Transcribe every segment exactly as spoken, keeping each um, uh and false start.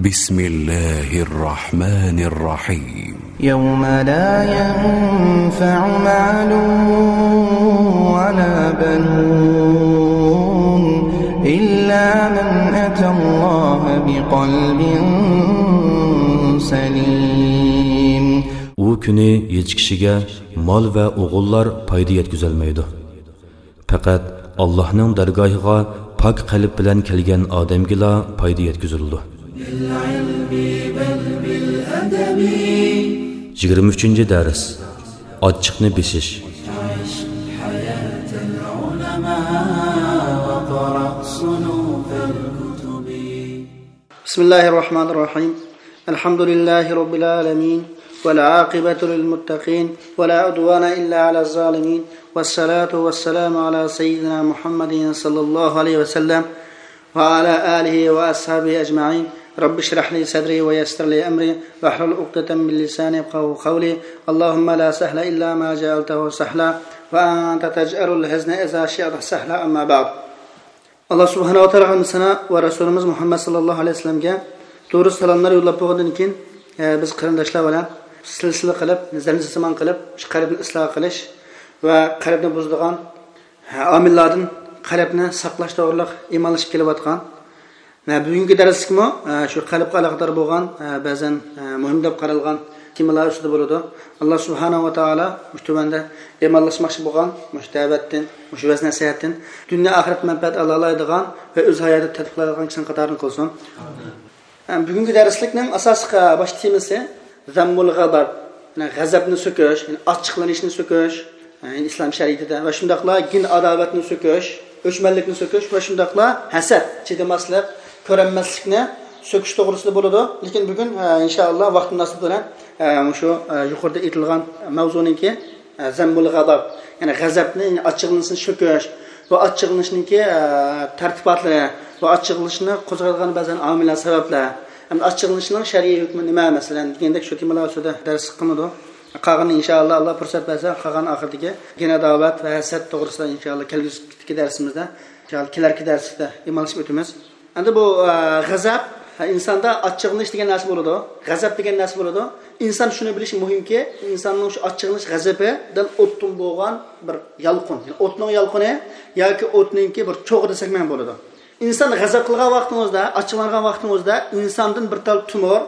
بسم الله الرحمن الرحيم. يوم لا ينفع مال ولا بنون إلا من أتى الله بقلب سليم. ئۇ كۈنى ھېچ كىشىگە مال ۋە ئوغۇللار پايدا يەتكۈزەلمەيدۇ. پەقەت ئاللاھنىڭ دەرگاھىغا پاك قەلب بىلەن كەلگەن ئادەمگىلا پايدا يەتكۈزۈلىدۇ. يىگىرمە ئۈچىنچى دەرس. ئاچچىقنى بېسىش. بسم الله الرحمن الرحيم. الحمد لله رب العالمين، والعاقبة للمتقين، ولا عدوان إلا على الظالمين، والصلاة والسلام على سيدنا محمد صلى الله عليه وسلم، وعلى آله وأصحابه أجمعين. رب اشرح لي صدري ويسر لي أمري واحلل عقدة من لساني يفقهوا قولي. اللهم لا سهل إلا ما جعلته سهلا وأنت تجعل الحزن إذا شئت سهلا. أما بعد. ئاللا سۇبھانەھۇ ۋە تائالا ھەممىسىنى ۋە رەسۇلىمىز مۇھەممەد ساللاللاھۇ ئەلەيھى ۋەسەللەمگە دۇرۇست سالاملار يوللاپ بولغاندىن كېيىن، ئە، بىز قېرىنداشلار بىلەن سىلسىلە قىلىپ، زەنجىرسىمان قىلىپ، شۇ قەلبنى ئىسلاھ قىلىش ۋە قەلبنى بۇزىدىغان، ئە، ئامىللاردىن قەلبنى ساقلاش توغرىلىق ئىمانلىشىپ كېلىۋاتقان. ۋە بۈگۈنكى دەرسلىكمۇ، ئە، شۇ قەلبكە ئالاقىدار بولغان، ئە، بەزەن، ئە، مۇھىم دەپ قارالغان تېمىلار ئۈستىدە بولىدۇ. ئاللا سۇبھانەھۇ ۋە تائالا مۇشۇ تۆۋەندە ئىمانلاشماقچى بولغان مۇشۇ دەۋەتتىن، مۇشۇ ۋەز-نەسىھەتتىن دۇنيا ئاخىرەت مەنپەئەت ئالالايدىغان ۋە ئۆز ھاياتىدا تەتبىقلايدىغان كىشىنىڭ قاتارىدىن قىلسۇن. بۈگۈنكى دەرسلىكنىڭ ئاساسلىق باش تېمىسى زەممۇل غەزەب، يەنى غەزەپنى سۆكۈش، يەنى ئاچچىقلىنىشنى سۆكۈش، يەنى ئىسلام شەرىئىتىدە ۋە شۇنداقلا گىن ئاداۋەتنى سۆكۈش، ئۆچمەنلىكنى سۆكۈش ۋە شۇنداقلا ھەسەت، چىدىماسلىق، كۆرەلمەسلىكنى سۆكۈش توغرىسىدا بولىدۇ. لېكىن بۈگۈن، ئە، ئىنشائاللا، ۋاقىت مۇناسىۋىتى بىلەن، ئە، مۇشۇ، ئە، يۇقىرىدا ئېيتىلغان ماۋزۇنىڭكى، ئە، زەممۇل غەزەب، يەنى غەزەپنى، يەنى ئاچچىقلىنىشنى سۆكۈش، بۇ ئاچچىقلىنىشنىڭكى، ئە، تەرتىپاتلىرى، بۇ ئاچچىقلىنىشنى قوزغايدىغان بەزەن ئامىللار، سەۋەبلەر، ھەمدە ئاچچىقلىنىشنىڭ شەرئىي ھۆكمى نېمە، مەسىلەن، دېگەندەك شۇ تېمىلار ئۈستىدە دەرس قىلىنىدۇ. قالغىنىنى ئىنشائاللا، ئاللا پۇرسەت بەرسە، قالغان ئاخىرىدىكى گىن ئاداۋەت ۋە ھەسەت توغرىسىدا ئىنشائاللا كەلگۈسىدىكى دەرسىمىزدە، ئىنشائاللا كېلەركى دەرسلىكتە ئىمانلىشىپ ئۆتىمىز. ئەمدى بۇ، ئە، غەزەپ، ھە، ئىنساندا ئاچچىقلىنىش دېگەن نەرسە بولىدۇ، غەزەپ دېگەن نەرسە بولىدۇ. ئىنسان شۇنى بىلىشى مۇھىمكى، ئىنساننىڭ شۇ ئاچچىقلىنىش غەزىپىدىن ئوتتىن بولغان بىر يالقۇن، يەنى ئوتنىڭ يالقۇنى ياكى ئوتنىڭكى بىر چوغى دېسەكمۇ بولىدۇ. ئىنسان غەزەپ قىلغان ۋاقتىڭىزدا، ئاچچىقلانغان ۋاقتىڭىزدا ئىنساندىن بىر تال تومۇر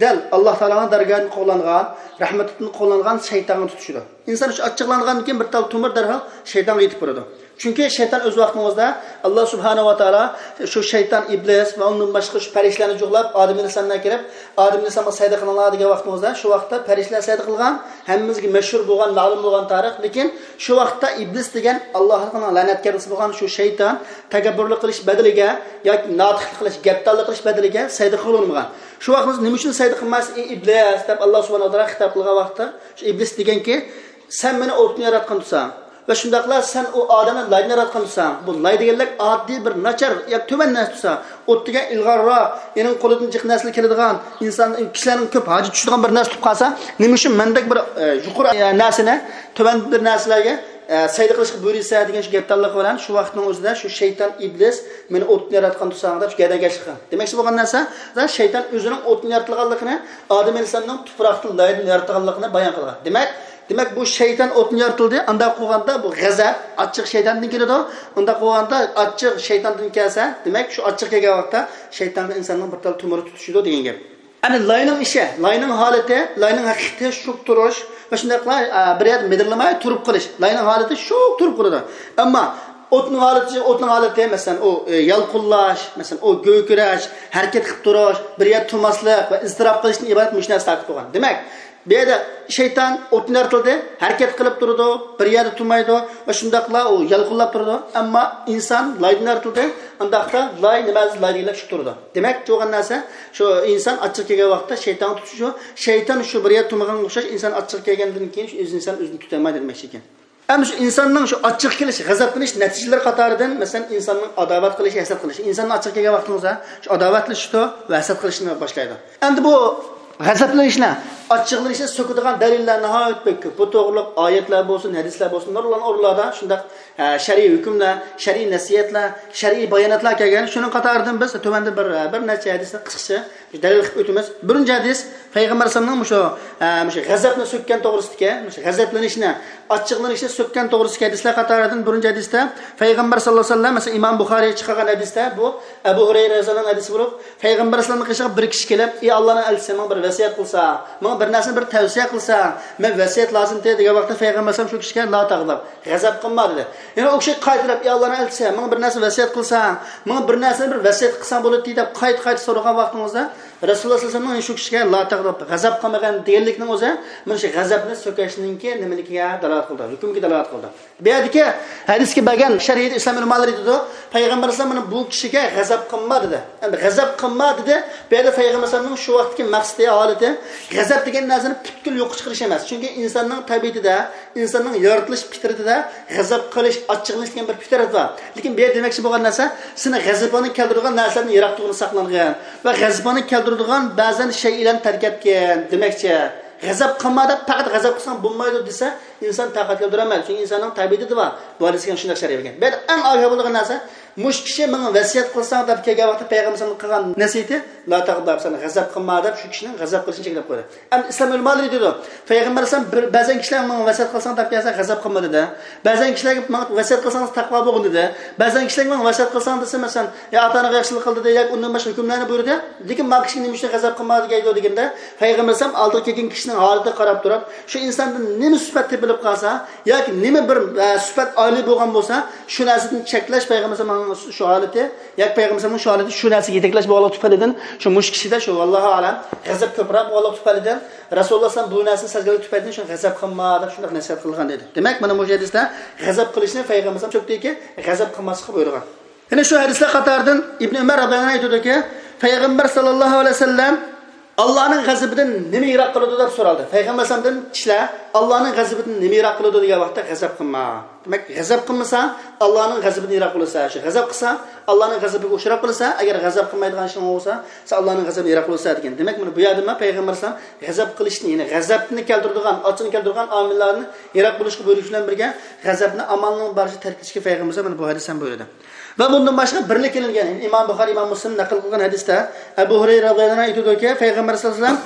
دەل ئاللا تائالانىڭ دەرگاھىدىن قوغلانغان، رەھمىتىدىن قوغلانغان شەيتانغا تۇتىشىدۇ. ئىنسان شۇ ئاچچىقلانغاندىن كېيىن بىر تال تومۇر دەرھال شەيتانغا يېتىپ بارىدۇ. چۈنكى شەيتان ئۆز ۋاقتىڭىزدا ئاللا سۇبھانەھۇ ۋە تائالا شۇ شەيتان ئىبلىس ۋە ئۇندىن باشقا شۇ پەرىشتىلەرنى جۇغلاپ، ئادەم ئەلەيھىسسالام بىلەن كىرىپ، ئادەم ئەلەيھىسسالامغا سەجدە قىلىڭلار دېگەن ۋاقتىڭىزدا، شۇ ۋاقىتتا پەرىشتىلەر سەجدە قىلغان، ھەممىمىزگە مەشھۇر بولغان، مەلۇم بولغان تارىخ. لېكىن شۇ ۋاقىتتا ئىبلىس دېگەن ئاللانىڭ لەنەتكارلىسى بولغان شۇ شەيتان تەكەببۇرلۇق قىلىش بەدىلىگە ياكى ناتىقلىق قىلىش، گەپدانلىق قىلىش بەدىلىگە سەجدە قىلغىلى ئۇنىمىغان. شۇ ۋاقىت نېمە ئۈچۈن سەجدە قىلمايسىز، ئەي ئىبلىس؟ دەپ ئاللا سۇبھانەھۇ ۋە تائالا خىتاب قىلغان ۋاقىتتا، شۇ ئىبلىس دېگەنكى، سەن مېنى ئوتتىن ياراتقان تۇرساڭ ۋە شۇنداقلا سەن ئۇ ئادەمنى لايدىن ياراتقان تۇرساڭ، بۇ لاي دېگەنلىك ئاددىي بىر ناچار ياكى تۆۋەن نەرسە تۇرسا، ئوت دېگەن ئىلغارراق، ئېنىڭ قولىدىن جىق نەرسىلەر كېلىدىغان، ئىنسان، كىشىلەرنىڭ كۆپ ھاجەت چۈشىدىغان بىر نەرسە تۇرۇپ قالسا، نېمە ئۈچۈن مەندەك بىر، ئە، يۇقىرى، ئە، نەرسىنى تۆۋەن بىر نەرسىلەرگە، ئە، سەجدە قىلىشقا بۇيرۇيسەن دېگەن شۇ گەپدانلىقى بىلەن شۇ ۋاقىتنىڭ ئۆزىدە شۇ شەيتان ئىبلىس مېنى ئوتتىن ياراتقان تۇرساڭ دەپ شۇ گەدەنكەشلىك قىلغان. دېمەكچى بولغان نەرسە، شەيتان ئۆزىنىڭ ئوتتىن يارىتىلغانلىقىنى، ئادەم ئەلەيھىسسالامنىڭ تۇپراقتىن، لايدىن يارىتىلغانلىقىنى بايان قىلغان. دېمەك، دېمەك، بۇ شەيتان ئوتتىن يارىتىلدى. ئانداق قىلغاندا بۇ غەزەپ، ئاچچىق شەيتاندىن كېلىدۇ. ئانداق قىلغاندا ئاچچىق شەيتاندىن كەلسە، دېمەك، شۇ ئاچچىق كەلگەن ۋاقىتتا شەيتانغا ئىنساننىڭ بىر تال تومۇرى تۇتىشىدۇ دېگەن گەپ. ئەمدى لاينىڭ ئىشى، لاينىڭ ھالىتى، لاينىڭ ھەقىقىتى شۇ تۇرۇش ۋە شۇنداقلا، ئە، بىر يەردە مىدىرلىماي تۇرۇپ قېلىش. لاينىڭ ھالىتى شۇ تۇرۇپ قالىدۇ. ئەمما ئوتنىڭ ھالىتى، ئوتنىڭ ھالىتى، مەسىلەن، ئۇ، ئە، يالقۇنلاش، مەسىلەن، ئۇ گۆركىرەش، ھەرىكەت قىلىپ تۇرۇش، بىر يەردە تۇرماسلىق ۋە ئىزتىراپ قىلىشتىن ئىبارەت مۇشۇ نەرسە تارقىتىپ قويغان. دېمەك، بۇ يەردە شەيتان ئوتتىن يارىتىلدى، ھەرىكەت قىلىپ تۇرىدۇ، بىر يەردە تۇرمايدۇ ۋە شۇنداقلا ئۇ يالقۇنلاپ تۇرىدۇ. ئەمما ئىنسان لايدىن يارىتىلدى، ئانداقتا لاي نېمە، لاي دېگەنلەر شۇ تۇرىدۇ. دېمەك، بولغان نەرسە، شۇ ئىنسان ئاچچىق كەلگەن ۋاقىتتا شەيتانغا تۇتۇشۇ، شەيتان شۇ بىر يەردە تۇرمىغانغا ئوخشاش، ئىنسان ئاچچىق كەلگەندىن كېيىن شۇ ئۆز ئىنسان ئۆزىنى تۇتالمايدۇ دېمەكچى ئىكەن. ئەمما شۇ ئىنساننىڭ شۇ ئاچچىق كېلىش، غەزەپلىنىش نەتىجىلىرى قاتارىدىن، مەسىلەن، ئىنساننىڭ ئاداۋەت قىلىشى، ھەسەت قىلىشى. ئىنساننىڭ ئاچچىقى كەلگەن ۋاقتىڭىزدا شۇ ئاداۋەتلىشىدۇ ۋە ھەسەت قىلىشنى باشلايدۇ. ئەمدى بۇ غەزەپلىنىشنى ئاچچىقلىنىشنى سۆكىدىغان دەلىللەر ناھايىتى بەك كۆپ. بۇ توغرۇلۇق ئايەتلەر بولسۇن، ھەدىسلەر بولسۇن، نۇرغۇن ئورۇنلاردا شۇنداق، ئە، شەرئىي ھۆكۈملەر، شەرئىي ھۆكۈملەر، شەرئىي باياناتلار كەلگەن. شۇنىڭ قاتارىدىن بىز تۆۋەندە بىر، بىر نەچچە ھەدىسنى قىسقىچە دەلىل قىلىپ ئۆتىمىز. بىرىنچى ھەدىس، پەيغەمبەر ئەلەيھىسسالامنىڭ مۇشۇ، ئە، مۇشۇ غەزەپنى سۆككەن توغرىسىدىكى، مۇشۇ غەزەپلىنىشنى، ئاچچىقلىنىشنى سۆككەن توغرىسىدىكى ھەدىسلەر قاتارىدىن بىرىنچى ھەدىستە پەيغەمبەر ساللاللاھۇ ئەلەيھى ۋەسەللەم، مەسىلەن، ئىمام بۇخارىي چىقارغان ھەدىستە، بۇ ئەبۇ ھۇرەيرە رەزىياللاھۇ ئەنھۇ ھەدىسى بولۇپ، پەيغەمبەر ئەلەيھىسسالامنىڭ قېشىغا بىر كىشى كېلىپ، «ئى ئاللانىڭ ئەلچىسى، ماڭا بىر ۋەسىيەت قىلسا، ماڭا بىر نەرسىنى بىر تەۋسىيە قىلسا، مەن ۋەسىيەت لازىمتى» دېگەن ۋاقىتتا پەيغەمبەر ئەلەيھىسسالام شۇ كىشىگە «لا تەغدەب، غەزەپ قىلما» دېدى. يەنە ئۇ كىشى قايتىلاپ، «ئى ئاللانىڭ ئەلچىسى، ماڭا بىر نەرسە ۋەسىيەت قىلسا، ماڭا بىر نەرسىنى بىر ۋەسىيەت قىلساڭ بولاتتى» دەپ قايتا-قايتا سورىغان ۋاقتىڭىزدا، رەسۇلۇللا ساللاللاھۇ ئەلەيھى ۋەسەللەم شۇ كىشىگە «لا تەغدەب، غەزەپ قىلمىغىن» دېگەنلىكنىڭ ئۆزى مانا شۇ غەزەپنى سۆكۈشنىڭكى نېمىلىكىگە دالالەت قىلىدۇ، ھۆكۈمگە دالالەت قىلىدۇ. بۇ يەردىكى ھەدىسكە بەرگەن شەرھىدە ئىسلام ئۆلىمالىرى ئېيتىدۇ، پەيغەمبەر ئەلەيھىسسالام مانا بۇ كىشىگە «غەزەپ قىلما» دېدى. ئەمدى «غەزەپ قىلما» دېدى. بۇ يەردە پەيغەمبەر ئەلەيھىسسالامنىڭ شۇ ۋاقىتتىكى مەقسىتى، ھالىتى، غەزەپ دېگەن نەرسىنى پۈتكۈل يوققا چىقىرىش ئەمەس. چۈنكى ئىنساننىڭ تەبىئىتىدە، ئىنساننىڭ يارىتىلىش پىترىتىدە غەزەپ قىلىش، ئاچچىقلىنىش دېگەن بىر پىترەت بار. لېكىن بۇ يەردە دېمەكچى بولغان نەرسە، سېنى غەزىپىڭنى كەلتۈرىدىغان نەرسىلەردىن يىراق تۇرغىنى ساقلانغىن ۋە غەزىپىڭنى كەلتۈرىدىغان بەزەن شەيئىلەرنى تەرك ئەتكىن دېمەكچى. «غەزەپ قىلما» دەپ پەقەت «غەزەپ قىلساڭ بولمايدۇ» دېسە، ئىنسان تاقەت كەلتۈرەلمەيدۇ. چۈنكى ئىنساننىڭ تەبىئىتىدە بار. بۇ ھەدىسكە شۇنداق شەرھ بەرگەن. بۇ يەردە ئەڭ ئاگاھ بولىدىغان نەرسە، مۇشۇ كىشى ماڭا ۋەسىيەت قىلساڭ دەپ كەلگەن ۋاقىتتا پەيغەمبەر ئەلەيھىسسالام قىلغان نەسىھىتى، «لا تەغدەب، سەن غەزەپ قىلما» دەپ شۇ كىشىنىڭ غەزەپ قىلىشىنى چەكلەپ قويدى. ئەمدى ئىسلام ئۆلىمالىرى دەيدۇ، پەيغەمبەر ئەلەيھىسسالام بىر، بەزەن كىشىلەر ماڭا ۋەسىيەت قىلساڭ دەپ كەلسە غەزەپ قىلما دېدى. بەزەن كىشىلەرگە ماڭا ۋەسىيەت قىلساڭىز تەقۋا بولغىن دېدى. بەزەن كىشىلەرگە ماڭا ۋەسىيەت قىلساڭ دېسە، مەسىلەن، يا ئاتا-ئاناغا ياخشىلىق قىل دېدى، ياكى ئۇندىن باشقا ھۆكۈملەرنى بۇيرۇدى. لېكىن ما كىشىگە نېمە ئۈچۈن غەزەپ قىلما دەيدۇ دېگەندە، پەيغەمبەر ئەلەيھىسسالام ئالدىغا كەلگەن كىشىنىڭ ھالىتىگە قاراپ تۇرۇپ، شۇ ئىنساندىن نېمە سۈپەت تېپىلىپ قالسا، ياكى نېمە بىر، ئە، سۈپەت ئالىي بولغان بولسا، شۇ نەرسىدىن چەكلەش پەيغەمبەر ئەلەيھىسسالامنىڭ شۇ ھالىتى، ياكى پەيغەمبەر ئەلەيھىسسالامنىڭ شۇ ھالىتى شۇ نەرسىگە يېتەكلەش بولغانلىقى تۈپەيلىدىن، شۇ مۇشۇ كىشىدە شۇ، ۋاللاھۇ ئەلەم، غەزەپ كۆپرەك بولغانلىقى تۈپەيلىدىن، رەسۇلۇللا ئەلەيھىسسالام بۇ نەرسىنى سەزگەنلىكى تۈپەيلىدىن شۇ غەزەپ قىلما دەپ شۇنداق نەسىھەت قىلغان دېدى. دېمەك، مانا مۇشۇ ھەدىستە غەزەپ قىلىشنى پەيغەمبەر ئەلەيھىسسالام سۆكتىكى، غەزەپ قىلماسلىققا بۇيرۇغان. يەنە شۇ ھەدىسلەر قاتارىدىن ئىبن ئۆمەر رەزىياللاھۇ ئەنھۇ ئېيتىدۇكى، پەيغەمبەر ساللاللاھۇ ئەلەيھى ۋەسەللەم ئاللانىڭ غەزىپىدىن نېمە يىراق قىلىدۇ دەپ سورالدى. پەيغەمبەر ئەلەيھىسسالامدىن كىشىلەر ئاللانىڭ غەزىپىدىن نېمە يىراق قىلىدۇ دېگەن ۋاقىتتا غەزەپ قىلما. دېمەك، غەزەپ قىلمىساڭ ئاللانىڭ غەزىپىدىن يىراق بولىسەن. شۇ غەزەپ قىلساڭ ئاللانىڭ غەزىپىگە ئۇچراپ قالىسەن. ئەگەر غەزەپ قىلمايدىغان ئىشىڭ بولسا، سەن ئاللانىڭ غەزىپىدىن يىراق بولىسەن دېگەن. دېمەك، مانا بۇ يەردىمۇ پەيغەمبەر ئەلەيھىسسالام غەزەپ قىلىشنى، يەنى غەزەپنى كەلتۈرىدىغان، ئاچچىقنى كەلتۈرىدىغان ئامىللارنى يىراق بولۇشقا بۇيرۇش بىلەن بىرگە، غەزەپنى ئامالنىڭ بارىچە تەرك ئېتىشكە پەيغەمبەر ئەلەيھىسسالام مانا بۇ ھەدىستە ھەم بۇيرۇدى. ۋە بۇندىن باشقا بىرلىك كېلىنگەن، يەنى ئىمام بۇخارىي، ئىمام مۇسلىم نەقىل قىلغان ھەدىستە ئەبۇ ھۇرەيرە رەزىياللاھۇ ئەنھۇ ئېيتىدۇكى، پەيغەمبەر ساللاللاھۇ ئەلەيھى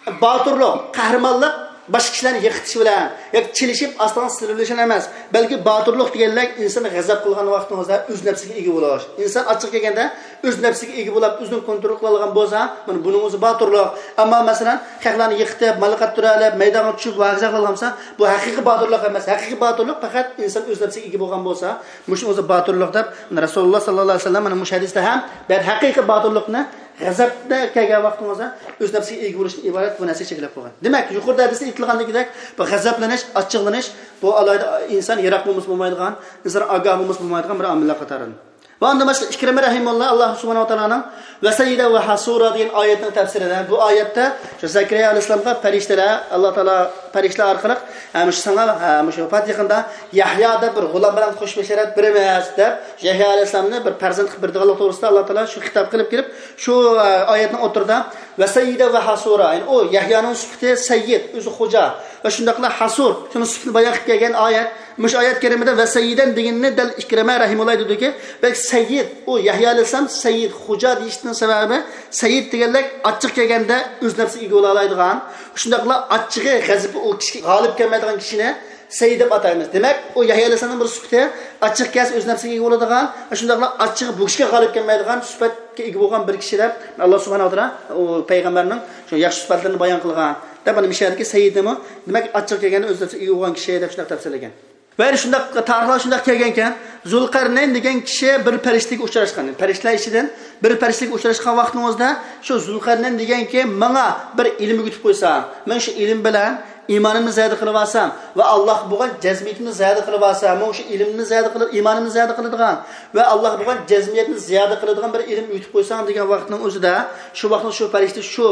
ۋەسەللەم، باتۇرلۇق، قەھرىمانلىق باشقا كىشىلەرنى يىقىتىش بىلەن ياكى چېلىشىپ ئاستىڭىز سىلىۋېلىش بىلەن ئەمەس، بەلكى باتۇرلۇق دېگەنلىك ئىنسان غەزەپ قىلغان ۋاقتىڭىزدا ئۆز نەپسىگە ئىگە بولۇش. ئىنسان ئاچچىقى كەلگەندە ئۆز نەپسىگە ئىگە بولۇپ، ئۆزىنى كونترول قىلالىغان بولسا، مانا بۇنىڭ ئۆزى باتۇرلۇق. ئەمما مەسىلەن، خەقلەرنى يىقىتىپ، مالىقات تۇرالىپ، مەيدانغا چۈشۈپ، ۋاكىزا قىلغان بولسا، بۇ ھەقىقىي باتۇرلۇق ئەمەس. ھەقىقىي باتۇرلۇق پەقەت ئىنسان ئۆز نەپسىگە ئىگە بولغان بولسا، مۇشۇنىڭ ئۆزى باتۇرلۇق دەپ، مانا رەسۇلۇللا ساللاللاھۇ ئەلەيھى ۋەسەللەم مانا مۇشۇ ھەدىستە ھەم، بەلكى ھەقىقىي باتۇرلۇقنى غەزەپتە كەلگەن ۋاقتىڭىزدا ئۆز نەپسىگە ئىگە بولۇشتىن ئىبارەت بۇ نەرسىگە چەكلەپ قويغان. دېمەك، يۇقىرىدا ھەدىستە ئېيتىلغاندىكىدەك، بۇ غەزەپلىنىش، ئاچچىقلىنىش، بۇ ئالاھىدە ئىنسان يىراق بولمىسا بولمايدىغان، ئىنسان ئاگاھ بولمىسا بولمايدىغان بىر ئامىللار قاتارىدىن. ۋە ئاندىن باشقا ئىكرىمە رەھىمۇللا، ئاللا سۇبھانەھۇ ۋە تائالانىڭ «ۋەسەيدە ۋە ھەسۇرا» دېگەن ئايەتنىڭ تەپسىرىدە، بۇ ئايەتتە شۇ زەكەرىيا ئەلەيھىسسالامغا پەرىشتىلەر، ئاللا تائالا پەرىشتىلەر ئارقىلىق، ھە، مۇشۇ ساڭا، ھە، مۇشۇ ۋاپات يېقىندا يەھيا دەپ بىر غۇلام بىلەن خوش بەشارەت بېرىمىز دەپ، يەھيا ئەلەيھىسسالامنى بىر پەرزەنت قىلىپ بېرىدىغانلىقى توغرىسىدا ئاللا تائالا شۇ خىتاب قىلىپ كېلىپ، شۇ، ئە، ئايەتنىڭ ئوتتۇرىدا «ۋەسەيدە ۋە ھەسۇرا»، يەنى ئۇ يەھيانىڭ سۈپىتى سەييىد، ئۆزى خوجا ۋە شۇنداقلا ھەسۇر، شۇنىڭ سۈپىتىنى بايان قىلىپ كەلگەن ئايەت. مۇشۇ ئايەت كەرىمىدە «ۋەسەييىدەن» دېگىنىنى دەل ئىكرىمە رەھىمۇللا ئېيتىدۇكى، بەلكى سەييىد، ئۇ يەھيا ئەلەيھىسسالام سەييىد، خوجا دېيىشىنىڭ سەۋەبى، سەييىد دېگەنلىك ئاچچىق كەلگەندە ئۆز نەپسىگە ئىگە بولالايدىغان، شۇنداقلا ئاچچىقى، غەزىپى ئۇ كىشىگە غالىب كەلمەيدىغان كىشىنى سەييىد دەپ ئاتايمىز. دېمەك، ئۇ يەھيا ئەلەيھىسسالامنىڭ بىر سۈپىتى، ئاچچىق كەلسە ئۆز نەپسىگە ئىگە بولىدىغان، شۇنداقلا ئاچچىقى بۇ كىشىگە غالىب كەلمەيدىغان سۈپەتكە ئىگە بولغان بىر كىشى دەپ ئاللا سۇبھانەھۇ ۋە تائالا ئۇ پەيغەمبەرنىڭ شۇ ياخشى سۈپەتلىرىنى بايان قىلغان دەپ، مانا مۇشۇ يەردىكى سەييىدنىمۇ، دېمەك، ئاچچىق كەلگەندە ئۆز نەپسىگە ئىگە بولغان كىشى دەپ شۇنداق تەپسىرلىگەن. ۋە يەنە شۇنداق تارىخلار شۇنداق كەلگەنكەن، زۇلقەرنەين دېگەن كىشى بىر پەرىشتىگە ئۇچراشقان، پەرىشتىلەر ئىچىدىن بىر پەرىشتىگە ئۇچراشقان ۋاقتىڭىزدا، شۇ زۇلقەرنەين دېگەن كىشى ماڭا بىر ئىلىم ئۆگىتىپ قويسا، مەن شۇ ئىلىم بىلەن ئىمانىمنى زىيادە قىلىۋالسام ۋە ئاللاھقا بولغان جەزمىيىتىمنى زىيادە قىلىۋالسام، مانا شۇ ئىلىمنى زىيادە قىلىپ، ئىمانىمنى زىيادە قىلىدىغان ۋە ئاللاھقا بولغان جەزمىيەتنى زىيادە قىلىدىغان بىر ئىلىم ئۆگىتىپ قويساڭ دېگەن ۋاقىتنىڭ ئۆزىدە، شۇ ۋاقىتتا شۇ پەرىشتە شۇ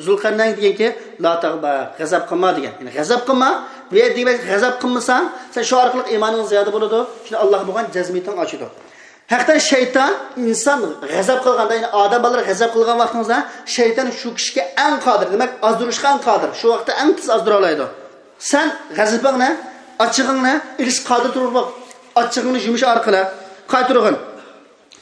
زۇلقەرنەين دېگەنكى، «لا تەغدەب، غەزەپ قىلما» دېگەن. يەنى غەزەپ قىلما. بۇ يەردە دېمەك، غەزەپ قىلمىساڭ، سەن شۇ ئارقىلىق ئىمانىڭ زىيادە بولىدۇ، شۇنى ئاللاھقا بولغان جەزمىيىتىڭ ئاشىدۇ. ھەقىقەتەن شەيتان ئىنسان غەزەپ قىلغاندا، يەنى ئادەم بالىلىرى غەزەپ قىلغان ۋاقتىڭىزدا، شەيتان شۇ كىشىگە ئەڭ قادىر، دېمەك، ئازدۇرۇشقا ئەڭ قادىر، شۇ ۋاقىتتا ئەڭ تېز ئازدۇرالايدۇ. سەن غەزىپىڭنى، ئاچچىقىڭنى ئېلىشقا قادىر تۇرۇپ، ئاچچىقىڭنى يۇمۇش ئارقىلىق قايتۇرغىن.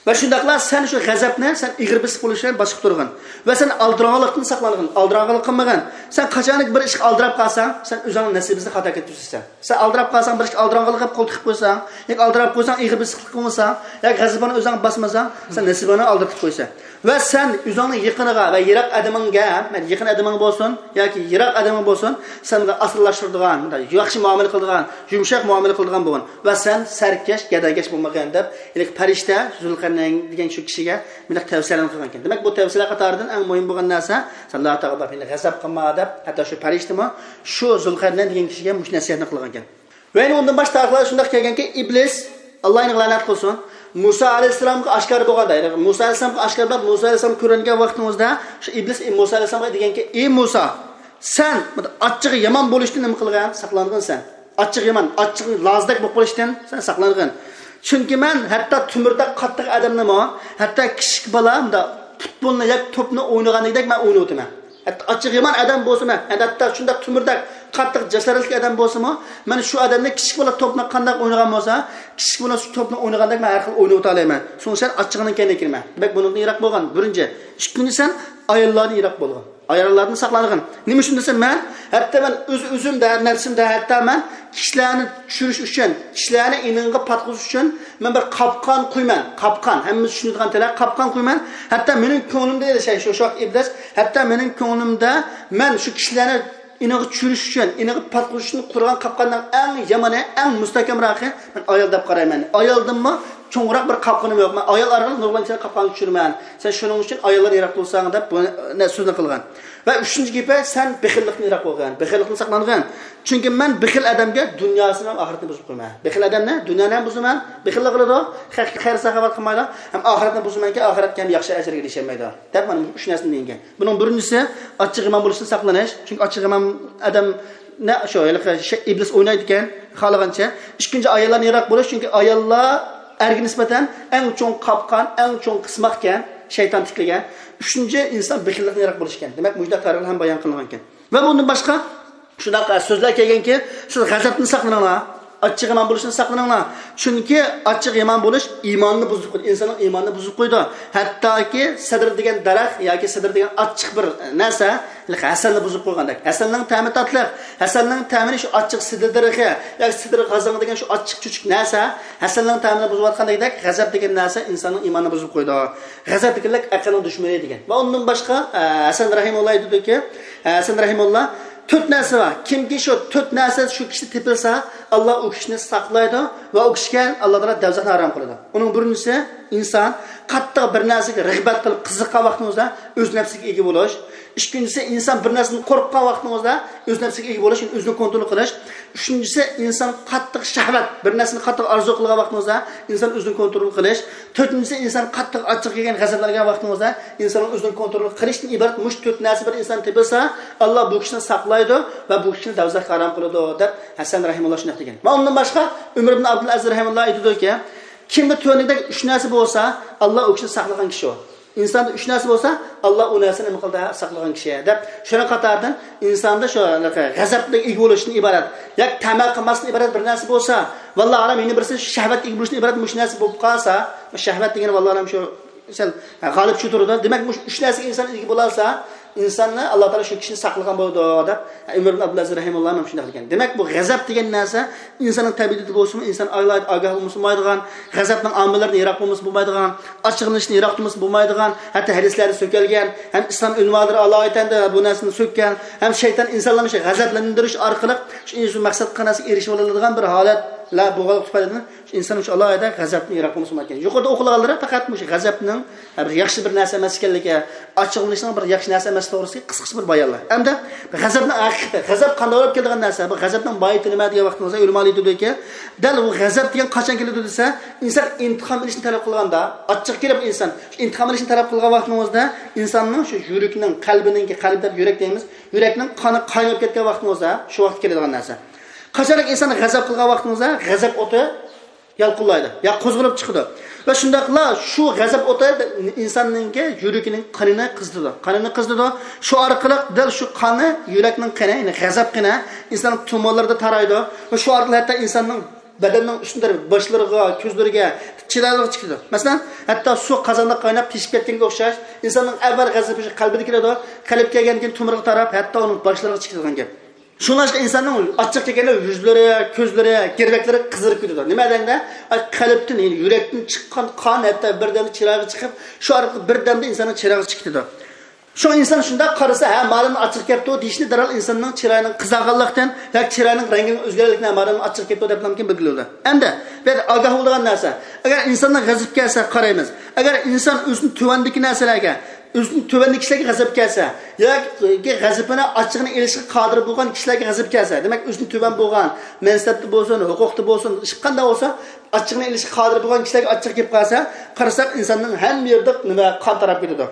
ۋە شۇنداقلا سەن شۇ غەزەپنى سەن ئېغىر بېسىپ بولۇش بىلەن باشقا تۇرغىن. ۋە سەن ئالدىراڭغۇلۇقتىن ساقلانغىن، ئالدىراڭغۇلۇق قىلمىغىن. سەن قاچانكى بىر ئىشقا ئالدىراپ قالساڭ، سەن ئۆزۈڭنىڭ نېسىبىسىنى خاتا كەتكۈزىسەن. سەن ئالدىراپ قالساڭ، بىر ئىشقا ئالدىراڭغۇلۇق قىلىپ قول تىقىپ قويساڭ، ياكى ئالدىراپ قويساڭ، ئېغىر بېسىقلىق قىلساڭ، ياكى غەزىپىڭنى ئۆزۈڭ باسمىساڭ، سەن نېسىبىڭنى ئالدىرىتىپ قويىسەن. ۋە سەن ئۆزۈڭنىڭ يېقىنىغا ۋە يىراق ئادىمىڭگە، مەن يېقىن ئادىمىڭ بولسۇن ياكى يىراق ئادىمىڭ بولسۇن، سەنگە ئاسانلاشتۇرىدىغان، مۇنداق ياخشى مۇئامىلە قىلىدىغان، يۇمشاق مۇئامىلە قىلىدىغان بولغىن. ۋە سەن سەركەش، گەدەكەش بولمىغىن دەپ، ھېلىقى پەرىشتە زۇلقەرنەين دېگەن شۇ كىشىگە مۇنداق تەۋسىيەلەرنى قىلغان ئىكەن. دېمەك، بۇ تەۋسىيەلەر قاتارىدىن ئەڭ مۇھىم بولغان نەرسە، سەن ئاللا تائالا غەزەپ قىلما دەپ، ھەتتا شۇ پەرىشتىمۇ شۇ زۇلقەرنەين دېگەن كىشىگە مۇشۇ نەسىھەتنى قىلغان ئىكەن. ۋە يەنە ئۇندىن باشقا تارىخلاردا شۇنداق كەلگەنكى، ئىبلىس، ئاللا ئۇنى لەنەت قىلسۇن، مۇسا ئەلەيھىسسالامغا ئاشكارا بولغاندا، يەنى مۇسا ئەلەيھىسسالامغا ئاشكارا بولۇپ، مۇسا ئەلەيھىسسالام كۆرۈنگەن ۋاقتىڭىزدا، شۇ ئىبلىس مۇسا ئەلەيھىسسالامغا دېگەنكى، ئى مۇسا، سەن ئاچچىقى يامان بولۇشتىن نېمە قىلغىن؟ ساقلانغىن سەن. ئاچچىق يامان، ئاچچىق لازدەك بولۇپ قېلىشتىن سەن ساقلانغىن. چۈنكى مەن ھەتتا تۆمۈردەك قاتتىق ئادەمنىمۇ، ھەتتا كىچىك بالا مۇنداق پۇتبولنى ياكى توپنى ئوينىغاندەك مەن ئوينىۋېتىمەن. ھەتتا ئاچچىق يامان ئادەم بولسىمۇ، ھەتتا شۇنداق تۆمۈردەك قاتتىق جاسارەتلىك ئادەم بولسىمۇ، مەن شۇ ئادەمنى كىچىك بالا توپنى قانداق ئوينىغان بولسا، كىچىك بالا شۇ توپنى ئوينىغاندەك مەن ھەر خىل ئوينىۋېتەلەيمەن. شۇڭا سەن ئاچچىقىنىڭ كەينىگە كىرمە. دېمەك، بۇنىڭدىن يىراق بولغىن. بىرىنچى. ئىككىنچى، سەن ئاياللاردىن يىراق بولغىن. ئاياللاردىن ساقلانغىن. نېمە ئۈچۈن دېسە، مەن ھەتتا مەن ئۆز-ئۆزۈمدە، نەپسىمدە ھەتتا مەن كىشىلەرنى چۈشۈرۈش ئۈچۈن، كىشىلەرنى ئېنىڭغا پاتقۇزۇش ئۈچۈن مەن بىر قاپقان قۇيىمەن. قاپقان، ھەممىمىز چۈشىنىدىغان تىلى، قاپقان قۇيىمەن. ھەتتا مېنىڭ كۆڭلۈمدە، دېسە، شۇ، شۇ ۋاقىت ئىبلىس، ھەتتا مېنىڭ كۆڭلۈمدە مەن شۇ كىشىلەرنى ئېنىغا چۈشۈرۈش ئۈچۈن، ئېنىغا پاتقۇزۇش ئۈچۈن قۇرغان قاپقاننىڭ ئەڭ يامىنى، ئەڭ مۇستەھكەمراقى مەن ئايال دەپ قارايمەن. ئايالدىنمۇ چوڭراق بىر قاپقىنىم يوق. مەن ئايال ئارقىلىق نۇرغۇنلىغان كىشىلەرنى قاپقانغا چۈشۈرىمەن. سەن شۇنىڭ ئۈچۈن ئاياللاردىن يىراق بولساڭ دەپ بۇ نە-، سۆزنى قىلغان. ۋە ئۈچىنچى گېپى، سەن بېخىللىقتىن يىراق بولغىن. بېخىللىقتىن ساقلانغىن. چۈنكى مەن بېخىل ئادەمگە دۇنياسىنى ھەم ئاخىرىتىنى بۇزۇپ قويىمەن. بېخىل ئادەمنى دۇنيانى ھەم بۇزىمەن، بېخىللىق قىلىدۇ، خەير-ساخاۋەت قىلمايدۇ، ھەم ئاخىرەتنى بۇزىمەنكى، ئاخىرەتكە ھەم ياخشى ئەجىرگە ئېرىشەلمەيدۇ، دەپ مانا مۇشۇ ئۈچ نەرسىنى دېگەن. بۇنىڭ بىرىنچىسى، ئاچچىق يامان بولۇشتىن ساقلىنىش. چۈنكى ئاچچىق يامان ئادەم نە-، شۇ ھېلىقى شەي-، ئىبلىس ئوينايدىكەن خالىغانچە. ئىككىنچى، ئاياللاردىن يىراق بولۇش، چۈنكى ئاياللار ئەرگە نىسبەتەن ئەڭ چوڭ قاپقان، ئەڭ چوڭ قىسماقكەن، شەيتان تىكلىگەن. ئۈچىنچى، ئىنسان بېخىللىقتىن يىراق بولۇش ئىكەن. دېمەك، مۇشۇنداق تەرىپلەر ھەم بايان قىلىنغانىكەن. ۋە بۇندىن باشقا شۇنداق سۆزلەر كەلگەنكى، سىز غەزەپتىن ساقلىنىڭلار، ئاچچىق يامان بولۇشتىن ساقلىنىڭلار. چۈنكى ئاچچىق يامان بولۇش ئىماننى بۇزۇپ قويىدۇ، ئىنساننىڭ ئىمانىنى بۇزۇپ قويىدۇ. ھەتتاكى سىدىر دېگەن دەرەخ ياكى سىدىر دېگەن ئاچچىق بىر نەرسە ھەسەلنى بۇزۇپ قويغاندەك. ھەسەلنىڭ تەمى تاتلىق، ھەسەلنىڭ تەمىنى شۇ ئاچچىق سىدىر دەرىخى ياكى سىدىر غازاڭ دېگەن شۇ ئاچچىق چۆچۈك نەرسە ھەسەلنىڭ تەمىنى بۇزۇۋاتقاندەك، غەزەپ دېگەن نەرسە ئىنساننىڭ ئىمانىنى بۇزۇپ قويىدۇ. غەزەپ دېگەنلىك ئەقىلنىڭ دۈشمىنى دېگەن. ۋە ئۇندىن باشقا، ئە، ھەسەن رەھىمۇللا ئېيتىدۇكى، ھەسەن رەھىمۇللا، تۆت نەرسە بار. كىمكى شۇ تۆت نەرسە شۇ كىشىدە تېپىلسا، ئاللا ئۇ كىشىنى ساقلايدۇ ۋە ئۇ كىشىگە ئاللا تائالا دوزاخنى ھارام قىلىدۇ. ئۇنىڭ بىرىنچىسى، ئىنسان قاتتىق بىر نەرسىگە رىغبەت قىلىپ قىزىققان ۋاقتىڭىزدا ئۆز نەپسىگە ئىگە بولۇش. ئىككىنچىسى، ئىنسان بىر نەرسىدىن قورققان ۋاقتىڭىزدا ئۆز نەپسىگە ئىگە بولۇش، يەنى ئۆزىنى كونترول قىلىش. ئۈچىنچىسى، ئىنسان قاتتىق شەھۋەت، بىر نەرسىنى قاتتىق ئارزۇ قىلغان ۋاقتىڭىزدا ئىنسان ئۆزىنى كونترول قىلىش. تۆتىنچىسى، ئىنسان قاتتىق ئاچچىقى كەلگەن، غەزەپلەنگەن ۋاقتىڭىزدا ئىنساننىڭ ئۆزىنى كونترول قىلىشتىن ئىبارەت مۇشۇ تۆت نەرسە بىر ئىنسان تېپىلسا، ئاللا بۇ كىشىنى ساقلايدۇ ۋە بۇ كىشىنى دوزاخقا ھارام قىلىدۇ، دەپ ھەسەن رەھىمۇللا شۇنداق دېگەن. مانا ئۇندىن باشقا ئۆمەر ئىبن ئابدۇلئەزىز رەھىمۇللا ئېيتىدۇكى، كىمدە تۆۋەندىكىدەك ئۈچ نەرسە بولسا، ئاللا ئۇ كىشىنى ساقلىغان كىشى ئۇ. ئىنساندا ئۈچ نەرسە بولسا، ئاللا ئۇ نەرسىنى نېمە قىلدى؟ ساقلىغان كىشى، دەپ. شۇنىڭ قاتارىدىن ئىنساندا شۇ غەزەپكە ئىگە بولۇشتىن ئىبارەت، ياكى تەمە قىلماستىن ئىبارەت بىر نەرسە بولسا، ۋاللا ئالەم يەنە بىرسى شەھۋەتكە ئىگە بولۇشتىن ئىبارەت مۇشۇ نەرسە بولۇپ قالسا، شەھۋەت دېگەن ۋاللا ئالەم شۇ سەل غالىب چۈشۈپ تۇرىدۇ. دېمەك، مۇشۇ ئۈچ نەرسىگە ئىنسان ئىگە بولالسا، ئىنساننى ئاللا تائالا شۇ كىشىنى ساقلىغان بولىدۇ، دەپ ئۆمەر ئىبن ئابدۇلئەزىز رەھىمۇللا ھەم شۇنداق دېگەن. دېمەك، بۇ غەزەپ دېگەن نەرسە ئىنساننىڭ تەبىئىتىدە بولسىمۇ، ئىنسان ئايلايدۇ، ئاگاھ بولمىسا بولمايدىغان، غەزەپنىڭ ئامىللىرىدىن يىراق بولمىسا بولمايدىغان، ئاچچىقلىنىشتىن يىراق تۇرمىسا بولمايدىغان، ھەتتا ھەدىسلەردە سۆكەلگەن، ھەم ئىسلام ئۆلىمالىرى ئالايىتەن بۇ نەرسىنى سۆككەن، ھەم شەيتان ئىنسانلارنى شۇ غەزەپلەندۈرۈش ئارقىلىق شۇ ئىنسان مەقسەت قىلغان نەرسىگە ئېرىشىۋالىدىغان بىر ھالەتلەر بولغانلىقى تۈپەيلىدىن، شۇ ئىنسان شۇ ئالاھىدە غەزەپتىن يىراق بولمىسا بولمايدىكەن. يۇقىرىدا ئوقۇلغانلىرى پەقەت مۇشۇ غەزەپنىڭ بىر ياخشى بىر نەرسە ئەمەس ئىكەنلىكى، ئاچچىقلىنىشنىڭ بىر ياخشى نەرسە ئەمەس توغرىسىدىكى قىسقىچە بىر بايانلار. ئەمدى غەزەپنىڭ ھەقىقىتى، غەزەپ قانداق بولۇپ كېلىدىغان نەرسە، بۇ غەزەپنىڭ ماھىيىتى نېمە دېگەن ۋاقتىڭىزدا ئۆلىمالار ئېيتىدۇكى، دەل بۇ غەزەپ دېگەن قاچان كېلىدۇ دېسە، ئىنسان ئىنتىقام ئېلىشنى تەلەپ قىلغاندا، ئاچچىق كېلىپ ئىنسان شۇ ئىنتىقام ئېلىشنى تەلەپ قىلغان ۋاقتىڭىزدا، ئىنساننىڭ شۇ يۈرىكىنىڭ، قەلبىنىڭكى، قەلب دەپ يۈرەك دەيمىز، يۈرەكنىڭ قانى قايناپ كەتكەن ۋاقتىڭىزدا، شۇ ۋاقىت كېلىدىغان نەرسە. قاچانكى ئىنسان غەزەپ قىلغان ۋاقتىڭىزدا، غەزەپ ئوتى يالقۇنلايدۇ، يا قوزغىلىپ چىقىدۇ. ۋە شۇنداقلا شۇ غەزەپ ئوتى ئىنساننىڭكى يۈرىكىنىڭ قېنىنى قىزىتىدۇ. قېنىنى قىزىتىدۇ. شۇ ئارقىلىق دەل شۇ قاننى يۈرەكنىڭ قېنى، يەنى غەزەپ قېنى ئىنساننىڭ تومۇرلىرىدا تارايدۇ. ۋە شۇ ئارقىلىق ھەتتا ئىنساننىڭ بەدەننىڭ ئۈستۈن تەرىپى، باشلىرىغا، كۆزلىرىگە، چىرايلىرىغا چىقىدۇ. مەسىلەن، ھەتتا سۇ قازاندا قايناپ تېشىپ كەتكەنگە ئوخشاش، ئىنساننىڭ ئەۋۋەل غەزىپى شۇ قەلبىدە كېلىدۇ. قەلب كەلگەندىن كېيىن تومۇرغا تاراپ، ھەتتا ئۇنىڭ باشلىرىغا چىقىدىغان گەپ. شۇڭلاشقا ئىنساننىڭ ئاچچىق كەلگەندە يۈزلىرى، كۆزلىرى، گىرۋەكلىرى قىزىرىپ كېتىدۇ. نېمە دېگەندە، ئاي، قەلبتىن، يەنى يۈرەكتىن چىققان قان ھەتتا بىردەمدە چىرايغا چىقىپ، شۇ ئارقىلىق بىردەمدە ئىنساننىڭ چىرايغا چىقىپ كېتىدۇ. شۇڭا ئىنسان شۇنداق قارىسا، ھە، مالىمنىڭ ئاچچىقى كەپتۇ دېيىشنى دەرھال ئىنساننىڭ چىرايىنىڭ قىزارغانلىقتىن ياكى چىراينىڭ رەڭگىنىڭ ئۆزگەرگەنلىكىنى، ھە، مالىمنىڭ ئاچچىقى كەپتۇ دەپلا بىلگىلى بولىدۇ. ئەمدى بۇ يەردە ئاگاھ بولىدىغان نەرسە، ئەگەر ئىنساننىڭ غەزىپى كەلسە قارايمىز. ئەگەر ئىنسان ئۆزىنىڭ تۆۋەندىكى نەرسىلەرگە، ئۆزىنىڭ تۆۋەندىكى كىشىلەرگە غەزەپ كەلسە ياكى غەزىپىنى، ئاچچىقىنى ئېلىشقا قادىر بولغان كىشىلەرگە غەزەپ كەلسە، دېمەك، ئۆزىنىڭ تۆۋەن بولغان مەنسەپتە بولسۇن، ھوقۇقتا بولسۇن، ھېچقانداق بولسا، ئاچچىقىنى ئېلىشقا قادىر بولغان كىشىلەرگە ئاچچىقى كېلىپ قالسا، قارىساق، ئىنساننىڭ ھەممە يېرىدە نېمە، قان تاراپ كېتىدۇ.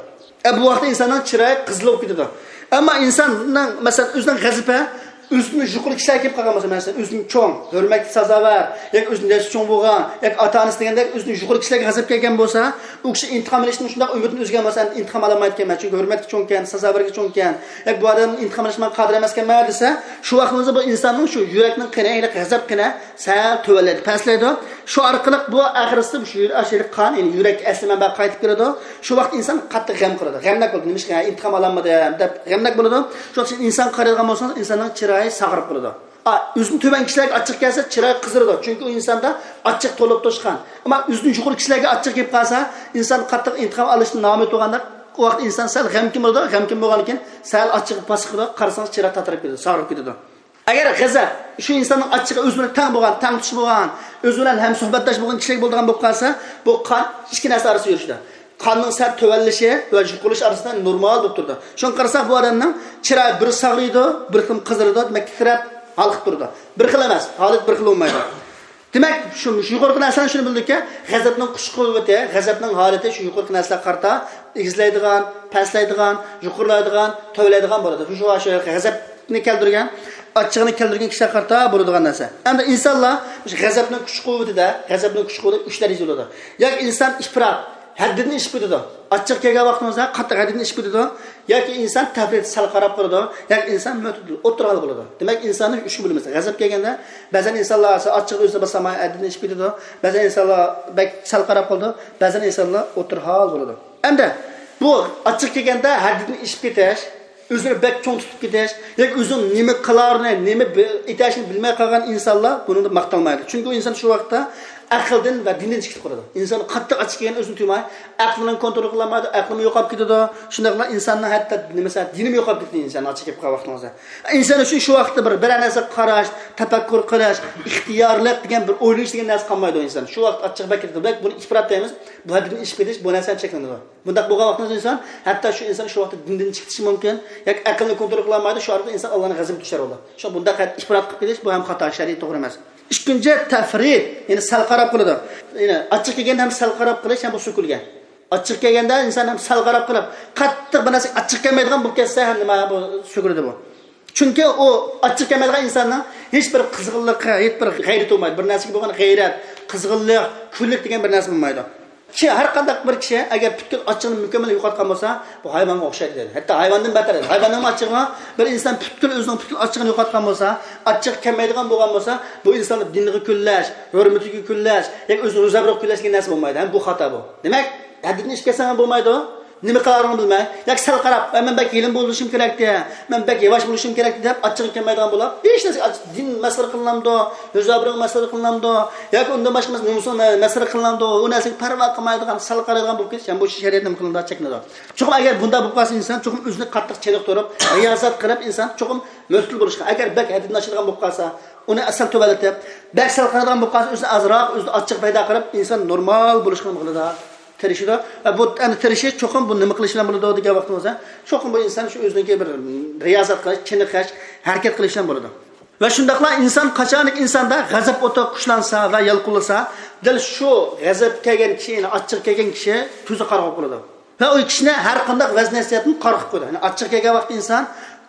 ئە، بۇ ۋاقىتتا ئىنساننىڭ چىرايى قىزىلىپ كېتىدۇ. ئەمما ئىنساننىڭ، مەسىلەن، ئۆزىنىڭ غەزىپى ئۆزىدىن يۇقىرى كىشىلەرگە كېلىپ قالغان بولسا، مەسىلەن، ئۆزىدىن چوڭ، ھۆرمەتكە سازاۋەر ياكى ئۆزىدىن ياشى چوڭ بولغان ياكى ئاتا-ئانىسى دېگەندەك ئۆزىدىن يۇقىرى كىشىلەرگە غەزەپ كەلگەن بولسا، ئۇ كىشى ئىنتىقام ئېلىشتىن شۇنداق ئۈمىدىنى ئۈزگەن بولسا، ئەمدى ئىنتىقام ئالالمايدىكەنمەن، چۈنكى ھۆرمەتكە چوڭكەن، سازاۋەرگە چوڭكەن، ياكى بۇ ئادەمدىن ئىنتىقام ئېلىشقا مەن قادىر ئەمەسكەنمەن دېسە، شۇ ۋاقتىمىزدا بۇ ئىنساننىڭ شۇ يۈرەكنىڭ قېنى، ھېلىقى غەزەپ قېنى سەل تۆۋەنلەيدۇ، پەسلەيدۇ. شۇ ئارقىلىق بۇ ئاخىرسىدا شۇ يۈرەك، ئاشۇ قان، يەنى يۈرەككە ئەسلى مەنبەگە قايتىپ كېلىدۇ. شۇ ۋاقىت ئىنسان قاتتىق غەم قىلىدۇ. غەمناك بولىدۇ. نېمىشقا، ئىنتىقام ئالالمىدىم دەپ غەمناك بولىدۇ. شۇ ۋاقىت ئىنسان قارايدىغان بولسىڭىز، ئىنساننىڭ چىرايى ساغىرىپ قالىدۇ. ئا، ئۆزىدىن تۆۋەن كىشىلەرگە ئاچچىق كەلسە، چىرايى قىزىرىدۇ. چۈنكى ئۇ ئىنساندا ئاچچىق توپلاپ توشقان. ئەمما ئۆزىدىن يۇقىرى كىشىلەرگە ئاچچىق كېلىپ قالسا، ئىنسان قاتتىق ئىنتىقام ئالىشتىن نامۇمكىن بولغاندا، ئۇ ۋاقىت ئىنسان سەل غەمكىن بولىدۇ. غەمكىن بولغاندىن كېيىن سەل ئاچچىقى پاسىپ قالىدۇ. قارىسىڭىز، چىراي تاتىرىپ كېتىدۇ، ساغىرىپ كېتىدۇ. ئەگەر غەزەپ شۇ ئىنساننىڭ ئاچچىقى ئۆزى بىلەن تەڭ بولغان، تەڭتۇش بولغان، ئۆزى بىلەن ھەم سۆھبەتداش بولغان كىشىلەرگە بولىدىغان بولۇپ قالسا، بۇ قان ئىككى نەرسە ئارىسىدا يۈرۈشىدۇ. قاننىڭ سەل تۆۋەنلىشى ۋە يۇقىرىلىشى ئارىسىدا نورمال بولۇپ تۇرىدۇ. شۇڭا قارىساق، بۇ ئادەمنىڭ چىرايى بىر ساغىرىيدۇ، بىر خىل قىزىرىدۇ، دېمەك، تىترەپ ھالقىپ تۇرىدۇ. بىر خىل ئەمەس، ھالەت بىر خىل بولمايدۇ. دېمەك، شۇ، شۇ يۇقىرىقى نەرسىلەرنى شۇنى بىلدۇقكى، غەزەپنىڭ كۈچ قۇۋۋىتى، غەزەپنىڭ ھالىتى شۇ يۇقىرىقى نەرسىلەرگە قارىتا ئېگىزلەيدىغان، پەسلەيدىغان، يۇقىرىلايدىغان، تۆۋەنلەيدىغان بولىدۇ. شۇ، شۇ، شۇ غەزەپنى كەلتۈرگەن، ئاچچىقىنى كەلتۈرگەن كىشىلەرگە قارىتا بولىدىغان نەرسە. ئەمدى ئىنسانلار شۇ غەزەپنىڭ كۈچ قۇۋۋىتىدە، غەزەپنىڭ كۈچ قۇۋۋىتى ئۈچ دەرىجىدە بولىدۇ. ياكى ئىنسان ئىپرات، ھەددىدىن ئېشىپ كېتىدۇ. ئاچچىق كەلگەن ۋاقتىمىزدا قاتتىق ھەددىدىن ئېشىپ كېتىدۇ. ياكى ئىنسان تەفرىت، سەل قاراپ قالىدۇ. ياكى ئىنسان مۆتىدىل، ئوتتۇرا ھال بولىدۇ. دېمەك، ئىنساننى ئۈچكە بۆلىمىز. غەزەپ كەلگەندە، بەزەن ئىنسانلار ئاچچىقى ئۆزىنى باسالماي ھەددىدىن ئېشىپ كېتىدۇ. بەزەن ئىنسانلار بەك سەل قاراپ قالىدۇ. بەزەن ئىنسانلار ئوتتۇرا ھال بولىدۇ. ئەمدى بۇ ئاچچىق كەلگەندە ھەددىدىن ئېشىپ كېتىش، ئۆزىنى بەك چوڭ تۇتۇپ كېتىش ياكى ئۆزىنىڭ نېمە قىلارىنى، نېمە بى-، ئېتەشنى بىلمەي قالغان ئىنسانلار بۇنىڭدا ماختالمايدۇ. چۈنكى ئۇ ئىنسان شۇ ۋاقىتتا ئەقىلدىن ۋە دىندىن چىقىپ قالىدۇ. ئىنسان قاتتىق ئاچچىق كەلگەندە ئۆزىنى تۇيماي، ئەقلىنى كونترول قىلالمايدۇ، ئەقلىمۇ يوقاپ كېتىدۇ. شۇنداقلا ئىنساننىڭ ھەتتا نېمىسى، دىنىمۇ يوقاپ كېتىدۇ ئىنسان ئاچچىق كەپ قالغان ۋاقتىڭىزدا. ئىنسان ئۈچۈن شۇ ۋاقىتتا بىر، بىرەر نەرسىگە قاراش، تەپەككۇر قىلىش، ئىختىيارلىق دېگەن بىر ئويلىنىش دېگەن نەرسە قالمايدۇ ئىنسان. شۇ ۋاقىت ئاچچىق بەك كېتىدۇ. بەك بۇنى ئىپرات دەيمىز. بۇ ھەددىدىن ئېشىپ كېتىش، بۇ نەرسە چەكلىنىدۇ. بۇنداق بولغان ۋاقتىدا ئىنسان، ھەتتا شۇ ئىنسان شۇ ۋاقىتتا دىندىن چىقىشى مۇمكىن ياكى ئەقلىنى كونترول قىلالمايدۇ، شۇ ئارىدا ئىنسان ئاللانىڭ غەزىپىگە دۇچار بولىدۇ. شۇ بۇنداق ئىپرات قىلىپ كېتىش، بۇ ھەم خاتا، شەرئىي توغرا ئەمەس. ئىككىنچى، تەفرىت، يەنى سەل قاراپ قالىدۇ. يەنى ئاچچىق كەلگەندە ھەم سەل قاراپ قېلىش ھەم بۇ سۆكۈلگەن. ئاچچىق كەلگەندە ئىنسان ھەم سەل قاراپ قېلىپ، قاتتىق بىر نەرسە ئاچچىق كەلمەيدىغان بولۇپ كەتسە ھەم نېمە بۇ سۆكۈلىدۇ بۇ. چۈنكى ئۇ ئاچچىق كەلمەيدىغان ئىنساننىڭ ھېچ بىر قىزغىنلىقى، ھېچ بىر غەيرىتى بولمايدۇ. بىر نەرسىگە بولغان غەيرەت، قىزغىنلىق، كۈنلۈك دېگەن بىر نەرسە بولمايدۇ. كىشى، ھەر قانداق بىر كىشى ئەگەر پۈتكۈل ئاچچىقىنى مۇكەممەل يوقاتقان بولسا، بۇ ھايۋانغا ئوخشايدۇ دەيدۇ. ھەتتا ھايۋاندىن بەتەر. ھايۋاننىڭمۇ ئاچچىقى بار. بىر ئىنسان پۈتكۈل ئۆزىنىڭ پۈتكۈل ئاچچىقىنى يوقاتقان بولسا، ئاچچىقى كەلمەيدىغان بولغان بولسا، بۇ ئىنساننىڭ دىنىغا كۈنلەش، ھۆرمىتىگە كۈنلەش ياكى ئۆزىنى روزا بېرىپ كۈنلەش دېگەن نەرسە بولمايدۇ. ھەم بۇ خاتا بۇ. دېمەك، ھەددىدىن ئېشىپ كەتسەڭ بولمايدۇ. نېمە قىلارىڭنى بىلمەي، ياكى سەل قاراپ، ئە، مەن بەك يېلىن بولۇشۇم كېرەكتى، مەن بەك ياۋاش بولۇشۇم كېرەكتى دەپ، ئاچچىقى كەلمەيدىغان بولۇپ، ھېچ نەرسە، ئاچ-، دىن مەسخىرە قىلىنامدۇ، ئۆز ئابرۇيغا مەسخىرە قىلىنامدۇ، ياكى ئۇندىن باشقا نومۇسىغا مە-، مەسخىرە قىلىنامدۇ، ئۇ نەرسىگە پەرۋا قىلمايدىغان، سەل قارايدىغان بولۇپ كېتىش، يەنى بۇ شەرىئەت نېمە قىلىنىدۇ، چەكلىنىدۇ. چوقۇم ئەگەر بۇنداق بولۇپ قالسا ئىنسان، چوقۇم ئۆزىنى قاتتىق چېنىقتۇرۇپ، رىيازەت قىلىپ، ئىنسان چوقۇم مۆتىدىل بولۇشقا، ئەگەر بەك ھەددىدىن ئاشىدىغان بولۇپ قالسا، ئۇنى ئەسەل تۆۋەنلىتىپ، بەك سەل قارايدىغان بولۇپ قالسا، ئۆزىنى ئازراق، ئۆزىدە ئاچچىق پەيدا قىلىپ، ئىنسان نورمال بولۇشقا نېمە قىلىدۇ؟ تىرىشىدۇ. ۋە بۇ ئەمدى تىرىشىش چوقۇم بۇ نېمە قىلىش بىلەن بولىدۇ دېگەن ۋاقتىمىزدا، چوقۇم بۇ ئىنسان شۇ ئۆزىنىڭكى بىر رىيازەت قىلىش، چېنىقىش، ھەرىكەت قىلىش بىلەن بولىدۇ. ۋە شۇنداقلا ئىنسان قاچانكى ئىنساندا غەزەپ ئوتى كۈچلەنسە ۋە يالقۇنلىسا، دەل شۇ غەزەپ كەلگەن كىشى، يەنى ئاچچىق كەلگەن كىشى كۆزى قارىغۇ بولىدۇ. ۋە ئۇ كىشىنى ھەر قانداق ۋەز-نەسىھەتتىن قارىغۇ قويىدۇ. يەنى ئاچچىق كەلگەن ۋاقىتتا ئىنسان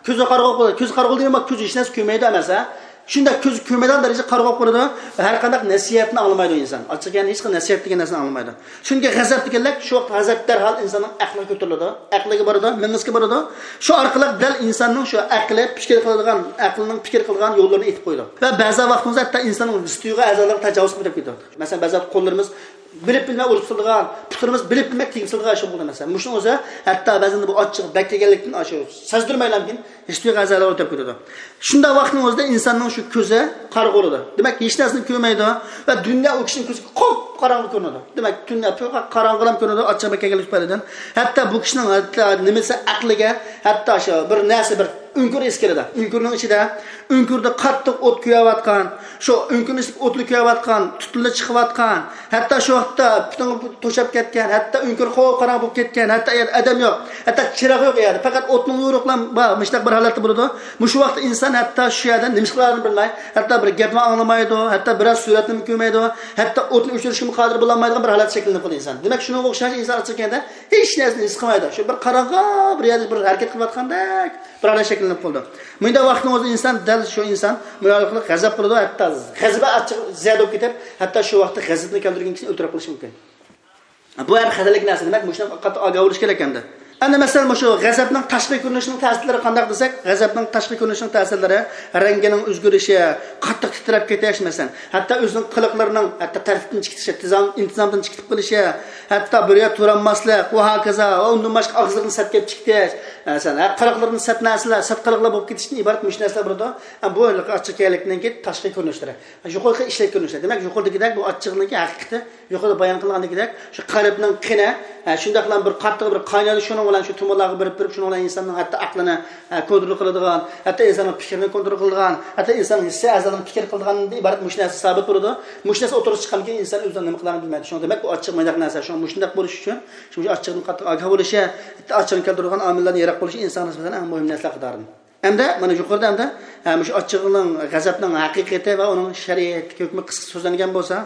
كۆزى قارىغۇ قويىدۇ. كۆزى قارىغۇ دېگەن بۇ كۆزى ھېچ نەرسە كۆرمەيدۇ ئەمەس، ھە؟ شۇنداق كۆزى كۆرمەيدىغان دەرىجىدە قارا بولۇپ قالىدۇ ۋە ھەر قانداق نەسىھەتنى ئاڭلىمايدۇ ئىنسان. ئاچچىق يەنى ھېچقانداق نەسىھەت دېگەن نەرسىنى ئاڭلىمايدۇ. چۈنكى غەزەپ دېگەنلىك شۇ ۋاقىت غەزەپ دەرھال ئىنساننىڭ ئەقلىگە كۆتۈرۈلىدۇ. ئەقلىگە بارىدۇ، مېڭىسىگە بارىدۇ. شۇ ئارقىلىق دەل ئىنساننىڭ شۇ ئەقلى پىكىر قىلىدىغان، ئەقلىنىڭ پىكىر قىلىدىغان يوللىرىنى ئېيتىپ قويىدۇ. ۋە بەزى ۋاقتىمىزدا ھەتتا ئىنساننىڭ ھېس تۇيغۇ ئەزالىرىغا تاجاۋۇز قىلىپ كېتىدۇ. مەسىلەن، بەزى قوللىرىمىز بىلىپ بىلمەي ئۇرۇپ سالىدىغان، پۇتلىرىمىز بىلىپ بىلمەي تېگىپ سالىدىغان ئىش بولىدۇ مەسىلەن. مۇشۇنىڭ ئۆزى ھەتتا بەزىدە بۇ ئاچچىق بەك كەلگەنلىكتىن ئاشۇ سەزدۈرمەيلا ئىنسان ھېس تۇيغۇ ئەزالىرى ئۆتۈپ كېتىدۇ. شۇنداق ۋاقىتنىڭ ئۆزىدە ئىنساننىڭ شۇ كۆزى قارىغۇ بولىدۇ. دېمەك، ھېچ نەرسىنى كۆرمەيدۇ ۋە دۇنيا ئۇ كىشىنىڭ كۆزىگە قاپقاراڭغۇ كۆرۈنىدۇ. دېمەك، دۇنيا پۈتۈن قاراڭغۇلام كۆرۈنىدۇ، ئاچچىق بەك كەلگەنلىك تۈپەيلىدىن. ھەتتا بۇ كىشىنىڭ ھەتتا نېمىسى ئەقلىگە، ھەتتا شۇ بىر نەرسە، بىر ئۆڭكۈر ھېس كېلىدۇ. ئۆڭكۈرنىڭ ئىچىدە، ئۆڭكۈردە قاتتىق ئوت كۆيۈۋاتقان، شۇ ئۆڭكۈرنىڭ ئىچىدە ئوتلا كۆيۈۋاتقان، تۈتۈنلا چىقىۋاتقان، ھەتتا شۇ ۋاقىتتا پۈتۈن توشاپ كەتكەن، ھەتتا ئۆڭكۈر قاپقاراڭغۇ بولۇپ كەتكەن، ھەتتا ئادەم يوق، ھەتتا چىراغ يوق ئۇ يەردە، پەقەت ئوتنىڭ يورۇقلا بار، مۇشۇنداق بىر ھالەتتە بولىدۇ. مۇشۇ ۋاقىتتا ئىنسان ھەتتا شۇ يەردە نېمە قىلارىنى بىلمەي، ھەتتا بىر گەپنى ئاڭلىمايدۇ، ھەتتا بىرەر سۈرەتنىمۇ كۆرمەيدۇ، ھەتتا ئوتنى ئۆچۈرۈشكىمۇ قادىر بولالمايدىغان بىر ھالەت شەكىللىنىپ قالىدۇ ئىنسان. دېمەك، شۇنىڭغا ئوخشاش ئىنسان ئاچچىق كەلگەندە ھېچ نەرسىنى ھېس قىلمايدۇ. شۇ بىر قاراڭغۇ بىر يەردە بىر ھەرىكەت قىلىۋاتقاندەك بىر ھالەت شەكىللىنىپ قالىدۇ. مۇنداق ۋاقىتنىڭ ئۆزىدە ئىنسان، دەل شۇ ئىنسان مۇشۇ ئارقىلىق غەزەپ قىلىدۇ، ھەتتا غەزىپى ئاچچىق زىيادە بولۇپ كېتىپ، ھەتتا شۇ ۋاقىتتا غەزىپنى كەلتۈرگەن كىشىنى ئۆلتۈرۈپ قويۇشى مۇمكىن. بۇ ھەم خەتەرلىك نەرسە، دېمەك، مۇشۇنىڭ قاتتىق ئاگاھ بولۇش كېرەك ئەمدى. ئەمدى مەسىلەن، مۇشۇ غەزەپنىڭ تاشقى كۆرۈنۈشىنىڭ تەسىرلىرى قانداق دېسەك، غەزەپنىڭ تاشقى كۆرۈنۈشىنىڭ تەسىرلىرى رەڭگىنىڭ ئۆزگىرىشى، قاتتىق تىترەپ كېتىش، مەسىلەن، ھەتتا ئۆزىنىڭ قىلىقلىرىنىڭ ھەتتا تەرتىپتىن چىقىشى، تىزام-، ئىنتىزامدىن چىقىپ قېلىشى، ھەتتا بىر يەردە تۇرالماسلىق، ۋە ھاكازا، ۋە ئۇندىن باشقا ئاغزىدىن سەت كېلىپ چىقىش، مەسىلەن، ھە، قىلىقلىرىدىن سەت نەرسىلەر، سەت قىلىقلار بولۇپ كېتىشتىن ئىبارەت مۇشۇ نەرسىلەر بولىدۇ. ھە، بۇ ئاچچىق كەلگەنلىكنىڭكى تاشقى كۆرۈنۈشلىرى. يۇقىرىقى ئىشلەپ كۆرۈنۈشلەر. دېمەك، يۇقىرىدىكىدەك بۇ ئاچچىقنىڭكى ھەقىقىتى يۇقىرىدا بايان قىلغاندىكىدەك، شۇ قەلبنىڭ قېنى، ھە، شۇنداقلا بىر قاتتىق بىر قاينايدۇ، شۇنىڭ بىلەن شۇ تومۇرلارغا بېرىپ، بېرىپ، شۇنىڭ بىلەن ئىنساننىڭ ھەتتا ئەقلىنى، ھە، كونترول قىلىدىغان، ھەتتا ئىنساننىڭ پىكرىنى كونترول قىلىدىغان، ھەتتا ئىنساننىڭ ھېسسىي ئەزالىرىنى پىكىر قىلىدىغاندىن ئىبارەت مۇشۇ نەرسە سابىت بولىدۇ. مۇشۇ نەرسە ئوتتۇرىغا چىققاندىن كېيىن ئىنسان ئۆزىنىڭ نېمە قىلارىنى بىلمەيدۇ. شۇڭا دېمەك، بۇ ئاچچىق مۇنداق نەرسە. شۇڭا مۇشۇنداق بولۇش ئۈچۈن، شۇ ئاچچىقنىڭ قاتتىق ئاگاھ بولۇشى، ھەتتا ئاچچىقنى كەلتۈرىدىغان ئامىللاردىن يىراق بولۇشى ئىنسان نىسبەتەن ئەڭ مۇھىم نەرسىلەر قاتارىدىن. ئەمدى مانا يۇقىرىدا ئەمدى، ھە، مۇشۇ ئاچچىقنىڭ، غەزەپنىڭ ھەقىقىتى ۋە ئۇنىڭ شەرىئەتتىكى ھۆكمى قىسقىچە سۆزلەنگەن بولسا،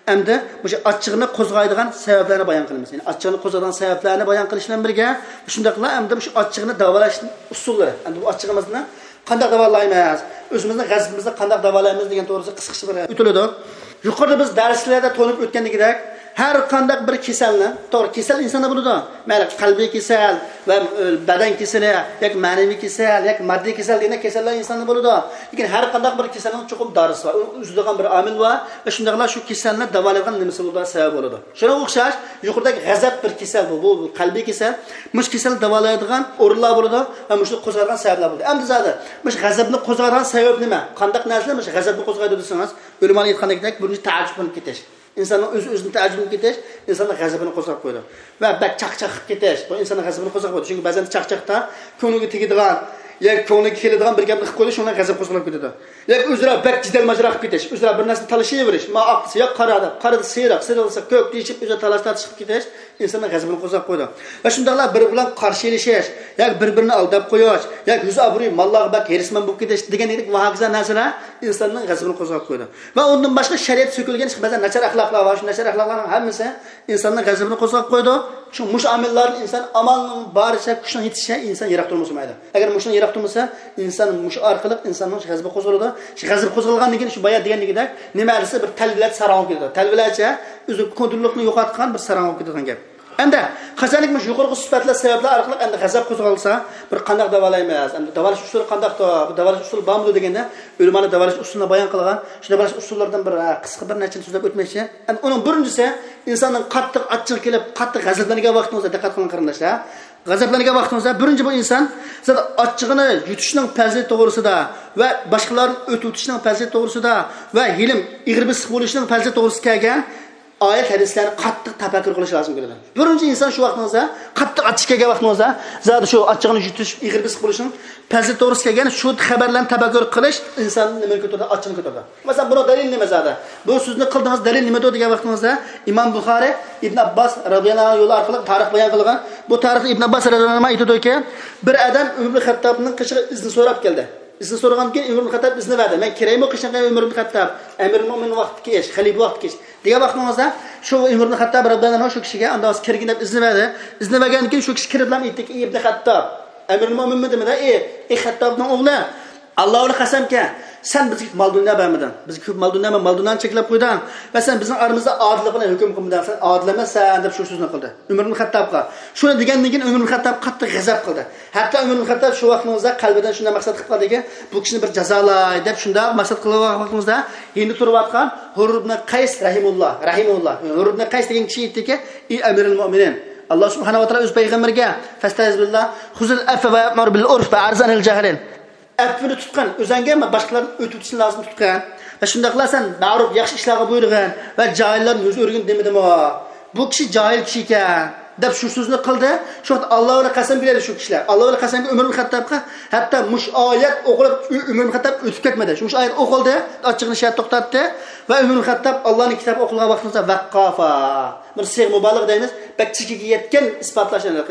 ئەمدى مۇشۇ ئاچچىقنى قوزغايدىغان سەۋەبلەرنى بايان قىلىمىز. يەنى ئاچچىقنى قوزغايدىغان سەۋەبلەرنى بايان قىلىش بىلەن بىرگە، شۇنداقلا ئەمدى مۇشۇ ئاچچىقنى داۋالاش ئۇسۇللىرى. ئەمدى بۇ ئاچچىقىمىزنى قانداق داۋالايمىز؟ ئۆزىمىزنىڭ غەزىپىمىزنى قانداق داۋالايمىز دېگەن توغرىسىدا قىسقىچە بىر ئۆتۈلىدۇ. يۇقىرىدا بىز دەرسلەردە تونۇپ ئۆتكەندىكىدەك، ھەر قانداق بىر كېسەلنى، توغرا، كېسەل ئىنساندا بولىدۇ. مەيلى قەلبىي كېسەل ۋە، ئۆ، بەدەن كېسىلى ياكى مەنىۋى كېسەل ياكى ماددىي كېسەل دېگەندەك كېسەللەر ئىنساندا بولىدۇ. لېكىن ھەر قانداق بىر كېسەلنىڭ چوقۇم دارىسى بار، ئۇنى ئۈزىدىغان بىر ئامىل بار ۋە شۇنداقلا شۇ كېسەلنى داۋالايدىغان نېمىسى بولىدۇ، سەۋەبى بولىدۇ. شۇنىڭغا ئوخشاش يۇقىرىدەك غەزەپ بىر كېسەل، بۇ، بۇ، بۇ قەلبىي كېسەل. مۇشۇ كېسەلنى داۋالايدىغان ئورۇنلار بولىدۇ ۋە مۇشۇنى قوزغايدىغان سەۋەبلەر بولىدۇ. ئەمدى زادى مۇشۇ غەزەپنى قوزغايدىغان سەۋەب نېمە؟ قانداق نەرسىلەر مۇشۇ غەزەپنى قوزغايدۇ دېسىڭىز، ئۆلىمالار ئېيتقاندەك بىرىنچى تەئەججۈپلىنىپ كېتىش. ئىنساننىڭ ئۆزى ئۆزىدىن تەئەججۈپلىنىپ كېتىش ئىنساننىڭ غەزىپىنى قوزغاپ قويىدۇ. ۋە بەك چاقچاق قىلىپ كېتىش، بۇ ئىنساننىڭ غەزىپىنى قوزغاپ قويىدۇ. چۈنكى بەزەن چاقچاقتا كۆڭلىگە تېگىدىغان ياكى كۆڭلىگە كېلىدىغان بىر گەپنى قىلىپ قويىدۇ، شۇنىڭ بىلەن غەزەپ قوزغىلىپ كېتىدۇ. ياكى ئۆزئارا بەك جېدەل ماجىرا قىلىپ كېتىش، ئۆزئارا بىر نەرسىنى تالىشىۋېرىش، مانا ئاق دېسە ياق، قارا دەپ، قارا دېسە سېرىق، سېرىق دېسە كۆك دېيىشىپ، ئۆزئارا تالاش تارتىش قىلىپ كېتىش ئىنساننىڭ غەزىپىنى قوزغاپ قويىدۇ. ۋە شۇنداقلا بىر-بىرى بىلەن قارشى ئېلىشىش ياكى بىر-بىرىنى ئالداپ قويۇش ياكى يۈز ئابرۇي، ماللارغا بەك ھېرىسمەن بولۇپ كېتىش دېگەندەك ۋە ھاكازا نەرسىلەر ئىنساننىڭ غەزىپىنى قوزغاپ قويىدۇ. ۋە ئۇندىن باشقا شەرىئەتتە سۆكۈلگەن بەزى ناچار ئەخلاقلار بار. شۇ ناچار ئەخلاقلارنىڭ ھەممىسى ئنساننىڭ غەزىپىنى قوزغاپ قويىدۇ. شۇ مۇشۇ ئامىللاردىن ئىنسان ئامالنىڭ بارىچە، كۈچىنىڭ يېتىشىچە ئىنسان يىراق تۇرمىسا بولمايدۇ. ئەگەر مۇشۇنىڭ يىراق تۇرمىسا، ئىنسان مۇشۇ ئارقىلىق ئىنساننىڭ غەزىپى قوزغىلىدۇ. شۇ غەزىپى قوزغالغاندىن كېيىن شۇ بايا دېگەندىكىدەك نېمە دېسە بىر تەلۋىلەرچە ساراڭ بولۇپ كېتىدۇ. تەلۋىلەرچە ئۆزى كونتروللۇقنى يوقاتقان بىر ساراڭ بولۇپ كېتىدىغان گەپ. ئەمدى قاچانكى مۇشۇ يۇقىرىقى سۈپەتلەر، سەۋەبلەر ئارقىلىق ئەمدى غەزەپ قوزغالسا، بىر قانداق داۋالايمىز؟ ئەمدى داۋالاش ئۇسۇلى قانداقتۇ؟ بۇ داۋالاش ئۇسۇلى بارمىدۇ دېگەندە، ئۆلىمالار داۋالاش ئۇسۇلىنى بايان قىلغان. شۇ داۋالاش ئۇسۇللىرىدىن بىر، ھە، قىسقا بىر نەچچىنى سۆزلەپ ئۆتمەكچى. ئەمدى ئۇنىڭ بىرىنچىسى، ئىنساننىڭ قاتتىق ئاچچىقى كېلىپ، قاتتىق غەزەپلەنگەن ۋاقتىڭىزدا، دىققەت قىلىڭ قېرىنداشلار. غەزەپلەنگەن ۋاقتىڭىزدا بىرىنچى بۇ ئىنسان زادى ئاچچىقىنى يۇتۇشنىڭ پەزىلىتى توغرىسىدا ۋە باشقىلاردىن ئۆتۈۋېتىشنىڭ پەزىلىتى توغرىسىدا ۋە ھېلىم ئېغىر بېسىق بولۇشنىڭ پەزىلىتى توغرىسىدا كەلگەن ئايەت ھەدىسلەرنى قاتتىق تەپەككۇر قىلىش لازىم كېلىدۇ. بىرىنچى ئىنسان شۇ ۋاقتىڭىزدا، قاتتىق ئاچچىق كەلگەن ۋاقتىڭىزدا، زادى شۇ ئاچچىقىنى يۇتۇش، ئېغىر بېسىق بولۇشنىڭ پەزىلىتى توغرىسىدا كەلگەن شۇ خەۋەرلەرنى تەپەككۇر قىلىش ئىنساننى نېمىنى كۆتۈرىدۇ؟ ئاچچىقنى كۆتۈرىدۇ. مەسىلەن، بۇنىڭ دەلىلى نېمە زادى؟ بۇ سۆزنى قىلدىڭىز، دەلىل نېمىدۇ دېگەن ۋاقتىڭىزدا، ئىمام بۇخارى ئىبن ئابباس رەزىياللاھۇ ئەنھۇ يولى ئارقىلىق تارىخ بايان قىلغان. بۇ تارىختا ئىبن ئابباس رەزىياللاھۇ ئەنھۇ ئېيتىدۇكى، بىر ئادەم ئۆمەر ئىبن خەتتابنىڭ قېشىغا ئىزنى سوراپ كەلدى. ئىزنى سورىغاندىن كېيىن ئۆمەر ئىبن خەتتاب ئىزنى بەردى. مەن كىرەيمۇ قېشىڭغا، ئۆمەر ئىبن خەتتاب، ئەمىرۇل مۆمىن ۋاقتىدىكى ئىش، خەلىپە ۋاقتىدىكى ئىش دېگەن ۋاقتىڭىزدا، شۇ ئۆمەر ئىبن خەتتاب رەزىياللاھۇ ئەنھۇ شۇ كىشىگە ئاندىن كىرگىن دەپ ئىزنى بەردى. ئىزنى بەرگەندىن كېيىن شۇ كىشى كىرىپلا ئېيتتىكى، ئى ئىبن خەتتاب، ئەمىرۇل مۆمىنمۇ دېمىدى، ئى، ئى خەتتابنىڭ ئوغلى، ئاللا بىلەن قەسەمكى، سەن بىزگە مال دۇنيا بەرمىدىڭ. بىزگە كۆپ مال دۇنيا، مال دۇنيانى چەكلەپ قويدۇڭ. ۋە سەن بىزنىڭ ئارىمىزدا ئادىللىق بىلەن ھۆكۈم قىلمىدىڭ. سەن ئادىل ئەمەسسەن دەپ شۇ سۆزنى قىلدى. ئۆمەر ئىبن خەتتابقا. شۇنى دېگەندىن كېيىن ئۆمەر ئىبن خەتتاب قاتتىق غەزەپ قىلدى. ھەتتا ئۆمەر ئىبن خەتتاب شۇ ۋاقتىڭىزدا قەلبىدىن شۇنداق مەقسەت قىلىپ قالدىكى، بۇ كىشىنى بىر جازالاي دەپ شۇنداق مەقسەت قىلغان ۋاقتىڭىزدا يېنىدا تۇرۇۋاتقان ھۇر ئىبن قەيس رەھىمۇللا، رەھىمۇللا. ھۇر ئىبن قەيس دېگەن كىشى ئېيتتىكى، ئى ئەمىرىل مۆمىنىن، ئاللا سۇبھانەھۇ ۋە تائالا ئۆز پەيغەمبىرىگە، فەستەئىز بىللا، خۇزىل ئەفۋە ۋەئمۇر بىل ئۇرف ۋە ئەرز ئەنىل جاھىلىن. ئەپۋىنى تۇتقىن، ئۆزەڭگە باشقىلاردىن ئۆتۈۋېتىشنى لازىم تۇتقىن. ۋە شۇنداقلا سەن مەرۇپ، ياخشى ئىشلارغا بۇيرۇغىن ۋە جاھىللاردىن يۈز ئۆرۈگىن دېمىدىمۇ؟ بۇ كىشى جاھىل كىشى ئىكەن، دەپ شۇ سۆزنى قىلدى. شۇ ۋاقىت ئاللا بىلەن قەسەم بېرەيلى شۇ كىشىلەر. ئاللا بىلەن قەسەمگە ئۆمەر ئىبن خەتتابقا ھەتتا مۇشۇ ئايەت ئوقۇلۇپ، ئۆ-، ئۆمەر ئىبن خەتتاب ئۆتۈپ كەتمىدى. شۇ، مۇشۇ ئايەت ئوقۇلدى، ئاچچىقىنى شۇ يەردە توختاتتى. ۋە ئۆمەر ئىبن خەتتاب ئاللانىڭ كىتابى ئوقۇلغان ۋاقتىڭىزدا ۋەققافا. بىر سىيغە مۇبالىغە دەيمىز. بەك چېكىگە يەتكەن ئىسپاتلاش، يەنى،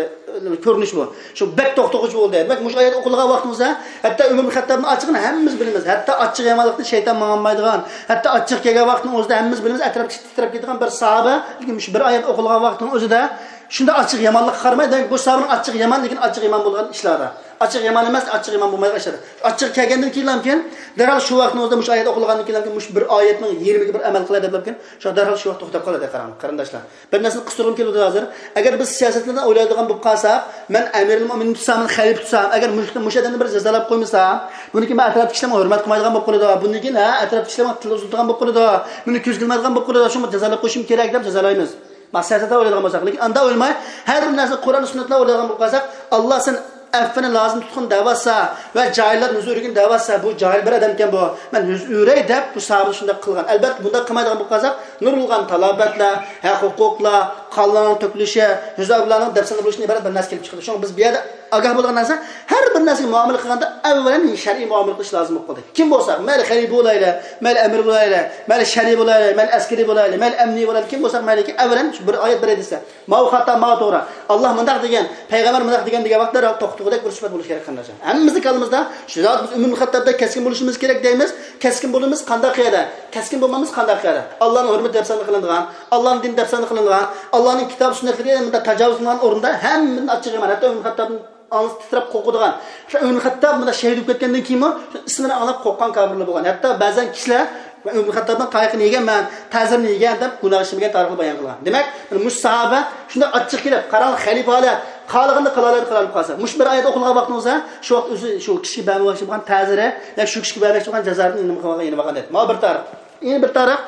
كۆرۈنۈش بۇ. شۇ بەك توختىغۇچى بولدى. دېمەك، مۇشۇ ئايەت ئوقۇلغان ۋاقتىڭىزدا، ھەتتا ئۆمەر ئىبن خەتتابنىڭ ئاچچىقىنى ھەممىمىز بىلىمىز. ھەتتا ئاچچىق يامانلىقتىن شەيتان ماڭالمايدىغان، ھەتتا ئاچچىق كەلگەن ۋاقىتنىڭ ئۆزىدە ھەممىمىز بىلىمىز، ئەتراپتا تىترەپ كېتىدىغان بىر ساھابە، لېكىن مۇشۇ بىر ئايەت ئوقۇلغان ۋاقىتنىڭ ئۆزىدە شۇنداق ئاچچىق يامانلىققا قارىماي، دېمەك، بۇ ساھابىنىڭ ئاچچىق يامان، لېكىن ئاچچىق يامان بولغان ئىشلاردا. ئاچچىق يامان ئەمەس، ئاچچىق يامان بولمايدىغان ئىشلاردا. ئاچچىق كەلگەندىن كېيىنلامكىن، دەرھال شۇ ۋاقىتنىڭ ئۆزىدە مۇشۇ ئايەت ئوقۇلغاندىن كېيىنلامكىن، مۇشۇ بىر ئايەتنىڭ يېرىمىگە بىر ئەمەل قىلاي دەپلامكىن، شۇ دەرھال شۇ ۋاقىت توختاپ قالىدۇ، قاراڭ، قېرىنداشلار. بىر نەرسىنى قىستۇرغۇم كېلىۋاتىدۇ ھازىر. ئەگەر بىز سىياسەتلەردىن ئويلايدىغان بولۇپ قالساق، مەن ئەمىرۇل مۆمىنىن تۇتسام، مەن خەلىپە تۇتسام، ئەگەر مۇشۇ، مۇشۇ ئادەمنى بىر جازالاپ قويمىسام، بۇنى كېيىن مەن ئەتراپتىكى كىشىلەرمۇ ھۆرمەت قىلمايدىغان بولۇپ قالىدۇ. بۇنى كېيىن، ھە، ئەتراپتىكى كىشىلەرمۇ تىل ئۇزىتىدىغان بولۇپ قالىدۇ. مېنى كۆزگە ئىلمايدىغان بولۇپ قالىدۇ. شۇڭا جازالاپ قويۇشۇم كېرەك دەپ جازالايمىز. مەقسەتتە ئويلايدىغان بولساق، لېكىن ئاندا ئويلىماي، ھەر بىر نەرسە قۇرئان سۈننەت بىلەن ئويلايدىغان بولۇپ قالساق، ئاللا سەن ئەپۋىنى لازىم تۇتقىن دەۋاتسا ۋە جاھىللارنى يۈز ئۆرۈگىن دەۋاتسا، بۇ جاھىل بىر ئادەمكەن بۇ. مەن يۈز ئۆرەي دەپ بۇ ساھابە شۇنداق قىلغان. ئەلبەتتە، بۇنداق قىلمايدىغان بولۇپ قالساق، نۇرغۇنلىغان تالاپەتلەر، ھەق ھوقۇقلار، قانلارنىڭ تۆكۈلۈشى، يۈز ئابلارنىڭ دەپسەندە بولۇشىدىن ئىبارەت بىر نەرسە كېلىپ چىقىدۇ. شۇڭا بىز بۇ يەردە ئاگاھ بولىدىغان نەرسە، ھەر بىر نەرسىگە مۇئامىلە قىلغاندا ئەۋۋەلەن شەرئىي مۇئامىلە قىلىش لازىم بولۇپ قالدى. كىم بولساق، مەيلى خەلىپە بولايلى، مەيلى ئەمىر بولايلى، مەيلى شەرئىي بولايلى، مەيلى ئەسكىرىي بولايلى، مەيلى ئەمنىي بولايلى، كىم بولساق مەيلى، ئەۋۋەلەن شۇ بىر ئايەت بېرەي دېسە، ماۋۇ خاتا، ماۋۇ توغرا. ئاللا مۇنداق دېگەن، پەيغەمبەر مۇنداق دېگەن دېگەن ۋاقىتتا دەرھال توختىغۇدەك بىر سۈپەت بولۇش كېرەك، قېرىنداشلار. ھەممىمىزنىڭ كاللىمىزدا شۇ زادى بىز ئۆمەر ئىبن خەتتابدەك كەسكىن بولۇشىمىز كېرەك دەيمىز. كەسكىن بولمامىز قانداق يەردە؟ كەسكىن بولمامىز قانداق يەردە؟ ئاللانىڭ دىنى دەپسەندە قىلىنغان، ئاللانىڭ كىتاب سۈننەتلىرىگە مۇنداق تاجاۋۇز قىلىنغان ئورۇندا ھەممىدىن ئاچچىق يامان. ھەتتا ئۆمەر ئىبن خەتتابنىڭ ئاڭزى تىترەپ قورقىدىغان. شۇ ئۆمەر ئىبن خەتتاب مۇنداق شېھىت بولۇپ كەتكەندىن كېيىنمۇ شۇ ئىسمىنى ئاڭلاپ قورققان كاپىرلار بولغان. ھەتتا بەزەن كىشىلەر، مەن ئۆمەر ئىبن خەتتابنىڭ تايىقىنى يېگەنمەن، تەزىرىنى يېگەن دەپ گۇناھ ئىشلىمىگەن تارىخنى بايان قىلغان. دېمەك، مۇشۇ ساھابە شۇنداق ئاچچىق كېلىپ، قاراڭ، خەلىپە ھالەت، خالىغىنىنى قىلالايدۇ، قىلالماي قالسا. مۇشۇ بىر ئايەت ئوقۇلغان ۋاقتىڭىزدا شۇ ۋاقىت ئۆزى شۇ كىشىگە بەرمەكچى بولغان تەزىرى، يا شۇ كىشىگە بەرمەكچى بولغان جازانى نېمە قىلغان، يېنىپ ئالغان دەيدۇ. ماۋۇ بىر تارىخ. يەنە بىر تارىخ،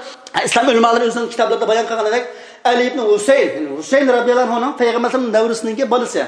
ئىسلام ئۆلىمالىرى ئۆزىنىڭ كىتابلىرىدا بايان قىلغىنىدەك، ئەلى ئىبن ھۈسەيىن، يەنى ھۈسەيىن رەزىياللاھۇ ئەنھۇنىڭ پەيغەمبەر ئەلەيھىسسالامنىڭ نەۋرىسىنىڭكى بالىسى.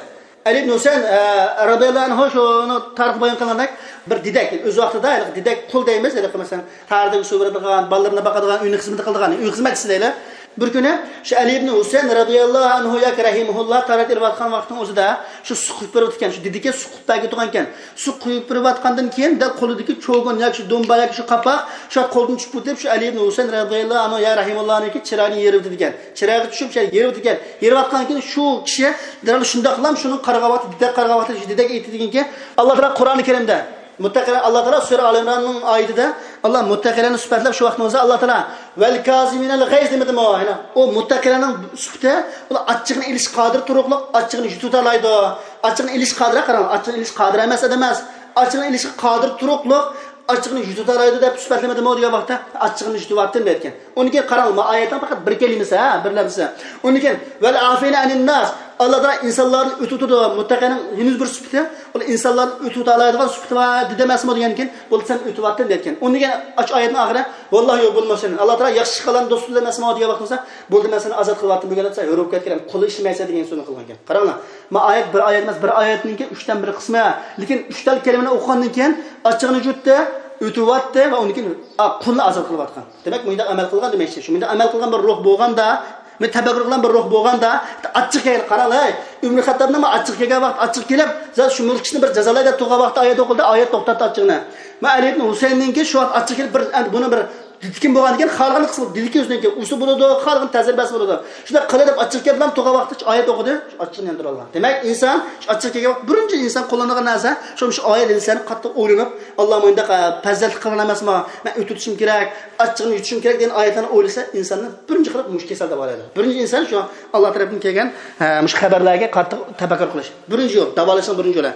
ئەلى ئىبن ھۈسەيىن، ئە، رەزىياللاھۇ ئەنھۇ شۇنىڭ تارىخى بايان قىلغاندەك، بىر دېدەك، ئۆز ۋاقتىدا، يەنى دېدەك قۇل دەيمىز، ھېلىقى مەسىلەن، ھەر دەم سۇ بېرىدىغان، بالىلىرىنى باقىدىغان، ئۆينى خىزمىتى قىلىدىغان، ئۆي خىزمەتچىسى دەيلى. بىر كۈنى شۇ ئەلى ئىبن ھۈسەيىن رەزىياللاھۇ ئەنھۇ ياكى رەھىمەھۇللا تارىخ ئېلىۋاتقان ۋاقىتنىڭ ئۆزىدە شۇ سۇ قۇيۇپ بېرىۋاتىدىكەن، شۇ دېدىكى سۇ قۇيۇپ بەرگە تۇرغانىكەن. سۇ قۇيۇپ بېرىۋاتقاندىن كېيىن، دەل قولىدىكى چوگۇن ياكى شۇ دۇمبا ياكى شۇ قاپاق شۇ قولدىن چۈشۈپ ئۆتۈپ، شۇ ئەلى ئىبن ھۈسەيىن رەزىياللاھۇ ئەنھۇ يا رەھىمەھۇللانىڭكى چىرايىنى يېرىۋېتىدىكەن. چىرايىغا چۈشۈپ، شۇ يېرىۋېتىدىكەن. يېرىۋاتقاندىن كېيىن شۇ كىشى دەل شۇنداقلا شۇنىڭ قارىغان ۋاقتى، دېدەك قارىغان ۋاقتى، شۇ دېدەك ئېيتىدىكەنكى، ئاللا تائالا قۇرئانى كەرىمدە مۇتتەقىلەر، ئاللا تائالا سۈرە ئال ئىمراننىڭ ئايىتىدە ئاللا مۇتتەقىلەرنى سۈپەتلەپ شۇ ۋاقىتنىڭ ئۆزىدە ئاللا تائالا ۋەل كازىمىنەل غەيز دېمىدىمۇ؟ يەنى ئۇ مۇتتەقىلەرنىڭ سۈپىتى، ئۇلار ئاچچىقىنى ئېلىشقا قادىر تۇرۇقلۇق، ئاچچىقىنى يۇتۇۋالالايدۇ. ئاچچىقىنى ئېلىشقا قادىر، قاراڭ، ئاچچىقىنى ئېلىشقا قادىر ئەمەس ئادەم ئەمەس. ئاچچىقىنى ئېلىشقا قادىر تۇرۇقلۇق، ئاچچىقىنى يۇتۇۋالالايدۇ دەپ سۈپەتلىمىدىمۇ دېگەن ۋاقىتتا، ئاچچىقىنى يۇتۇۋاتتىم دەيدىكەن. ئۇنىڭ كېيىن قاراڭ، ما ئايەتنىڭ پەقەت بىر كەلىمىسى، ھە، بىر لەپزى. ئۇنىڭ كېيىن ۋەل ئافىنە ئەنىن ناس، ئاللا تائالا ئىنسانلارنى ئۆتۈۋېتىدۇ. مۇتتەقىنىڭ ھېنىز بىر سۈپىتى، ئۇلار ئىنسانلارنى ئۆتۈۋېتەلەيدىغان سۈپىتى بار دېدى ئەمەسمۇ دېگەندىن كېيىن، بولدى، سەن ئۆتۈۋاتتىم دەيدىكەن. ئۇنىڭ كېيىن ئاشۇ ئايەتنىڭ ئاخىرى ۋاللاھۇ يۇھىببۇل مۇھسىنىن، ئاللا تائالا ياخشى ئىش قىلغاننى دوست تۇتىدۇ ئەمەسمۇ دېگەن ۋاقتىدا، بولدى، مەن سېنى ئازاد قىلىۋاتتىم، بۈگۈن سەن ھۆر بولۇپ كەتكىن، قۇل ئىشلىمەيسەن دېگەن سۆزنى قىلغانىكەن. قاراڭلار، ما ئايەت بىر ئايەت ئەمەس، بىر ئايەتنىڭكى ئۈچتىن بىر قىسمى. لېكىن ئۈچ تال كەلىمىنى ئوقۇغاندىن كېيىن ئاچچىقىنى يۇتتى، ئۆتۈۋاتتى ۋە ئۇنىڭ كېيىن، ئا، قۇلنى ئازاد قىلىۋاتقان. دېمەك، مۇنداق ئەمەل قىلغان دېمەكچى. شۇ مۇنداق ئەمەل قىلغان بىر روھ بولغاندا، مۇنداق تەپەككۇر قىلغان بىر روھ بولغاندا، ئاچچىق كەلگەن، قاراڭ، ھەي، ئۆمەر خەتتابنىڭ ئاچچىق كەلگەن ۋاقىت، ئاچچىق كېلىپ، زادى شۇ مۇشۇ كىشىنى بىر جازالاي دەپ تۇرغان ۋاقىتتا ئايەت ئوقۇلدى، ئايەت توختاتتى ئاچچىقنى. ما ئەلى ئىبن ھۈسەيىننىڭكى شۇ ۋاقىت ئاچچىق كېلىپ، بىر، ئەمدى بۇنى بىر دېتىكىم بولغاندىكىن، خالىغان قىلسا بولىدۇ، دېدىكى ئۆزىنىڭكى ئۇسۇ بولىدۇ، خالىغان تەسىر بەرسە بولىدۇ. شۇنداق قىلى دەپ ئاچچىق كەپلەم تۇغا ۋاقىتتا ئايەت ئوقۇدى، شۇ ئاچچىقنى ياندۇرالغان. دېمەك، ئىنسان شۇ ئاچچىق كەلگەن ۋاقىت بىرىنچى ئىنسان قوللىنىدىغان نەرسە، شۇ، شۇ ئايەت ھەدىسلەرنى قاتتىق ئويلىنىپ، ئاللا مۇنداق، ئە، پەزىلەتلىك قىلغان ئەمەسمۇ، مەن ئۆتۈۋېتىشىم كېرەك، ئاچچىقنى يۇتۇشۇم كېرەك دېگەن ئايەتلەرنى ئويلىسا، ئىنساننى بىرىنچى قىلىپ مۇشۇ كېسەل داۋالايدۇ. بىرىنچى ئىنسان شۇ ئاللا تەرەپتىن كەلگەن، ئە، مۇشۇ خەۋەرلەرگە قاتتىق تەپەككۇر قىلىش. بىرىنچى يول، داۋالاشنىڭ بىرىنچى يولى.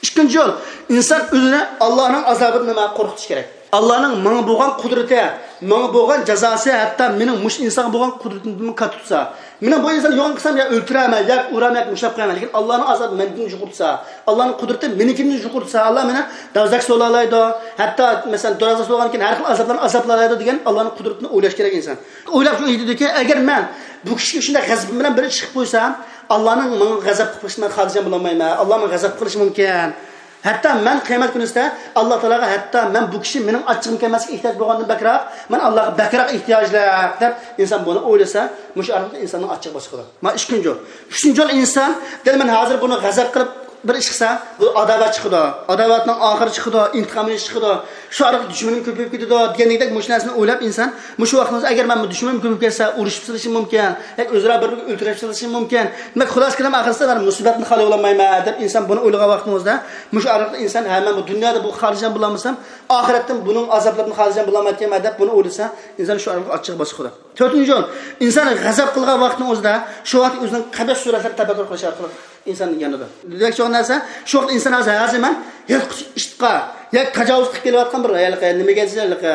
ئىككىنچى يول، ئىنسان ئۆزىنى ئاللانىڭ ئازابىدىن نېمە قورقۇتۇش كېرەك. ئاللانىڭ ماڭا بولغان قۇدرىتى، ماڭا بولغان جازاسى ھەتتا مېنىڭ مۇشۇ ئىنسانغا بولغان قۇدرىتىمدىنمۇ كاتتا تۇرسا، مېنىڭ بۇ ئىنساننى يوغان قىلسام يا ئۆلتۈرەرمەن، يا ئۇرارمەن، يا مۇشۇنداق قىلارمەن، لېكىن ئاللانىڭ ئازابى مەندىن يۇقىرى تۇرسا، ئاللانىڭ قۇدرىتى مېنىڭكىدىن يۇقىرى تۇرسا، ئاللا مېنى دوزاخقا سولالايدۇ، ھەتتا مەسىلەن دوزاخقا سولىغاندىن كېيىن ھەر خىل ئازابلارنى ئازابلالايدۇ دېگەن ئاللانىڭ قۇدرىتىنى ئويلاش كېرەك ئىنسان. ئويلاپ شۇ ئېيتىدۇكى، ئەگەر مەن بۇ كىشىگە شۇنداق غەزىپىم بىلەن بىر ئىش قىلىپ قويسام، ئاللانىڭ ماڭا غەزەپ قىلىشىنى مەن خالىجان بولالمايمەن، ئاللا ماڭا غەزەپ قىلىشى مۇمكىن. ھەتتا مەن قىيامەت كۈنىسىدە ئاللا تائالاغا، ھەتتا مەن بۇ كىشى مېنىڭ ئاچچىقىمغا كەلمەسلىككە ئېھتىياج بولغاندىن بەكرەك، مەن ئاللاغا بەكرەك ئېھتىياجلىق دەپ ئىنسان بۇنى ئويلىسا، مۇشۇ ئارقىلىق ئىنساننىڭ ئاچچىقى باشقىدۇر. مانا ئىككىنچى يول. ئۈچىنچى يول ئىنسان، دەل مەن ھازىر بۇنى غەزەپ قىلىپ بىر ئىش قىلسا، بۇ ئاداۋەت چىقىدۇ. ئاداۋەتنىڭ ئاخىرى چىقىدۇ، ئىنتىقام ئېلىش چىقىدۇ. شۇ ئارقىلىق دۈشمىنىم كۆپىيىپ كېتىدۇ دېگەندەك مۇشۇ نەرسىنى ئويلاپ ئىنسان، مۇشۇ ۋاقتىڭىزدا ئەگەر مەن بۇ دۈشمىنىم كۆپىيىپ كەتسە، ئۇرۇشۇپ سېلىشىم مۇمكىن، ياكى ئۆزئارا بىر-بىرىنى ئۆلتۈرۈپ سېلىشىم مۇمكىن. دېمەك، خۇلاسە كېلىم ئاخىرسىدا مەن مۇسىبەتنى خالىيالمايمەن دەپ ئىنسان بۇنى ئويلىغان ۋاقتىڭىزدا، مۇشۇ ئارقىلىق ئىنسان، ھە، مەن بۇ دۇنيادا بۇ خالىجان بولالمىسام، ئاخىرەتتىن بۇنىڭ ئازابلىرىدىن خالىجان بولالمايتتىم دەپ بۇنى ئويلىسا، ئىنسان شۇ ئارقىلىق ئاچچىقى باسقۇدۇر. تۆتىنچى يول، ئىنسان غەزەپ قىلغان ۋاقتىنىڭ ئۆزىدە شۇ ۋاقىت ئۆزىنىڭ قەبىھ سۈرەتلىرىنى تەپەككۇر قىلىش ئارقىلىق ئىنسان يانىدۇ. دېمەكچى بولغان نەرسە، شۇ ۋاقىت ئىنسان ھازىر، ھازىر مەن يىرتقۇچ ئىتقا ياكى تاجاۋۇز قىلىپ كېلىۋاتقان بىر ھېلىقى نېمىگە دېسە، ھېلىقى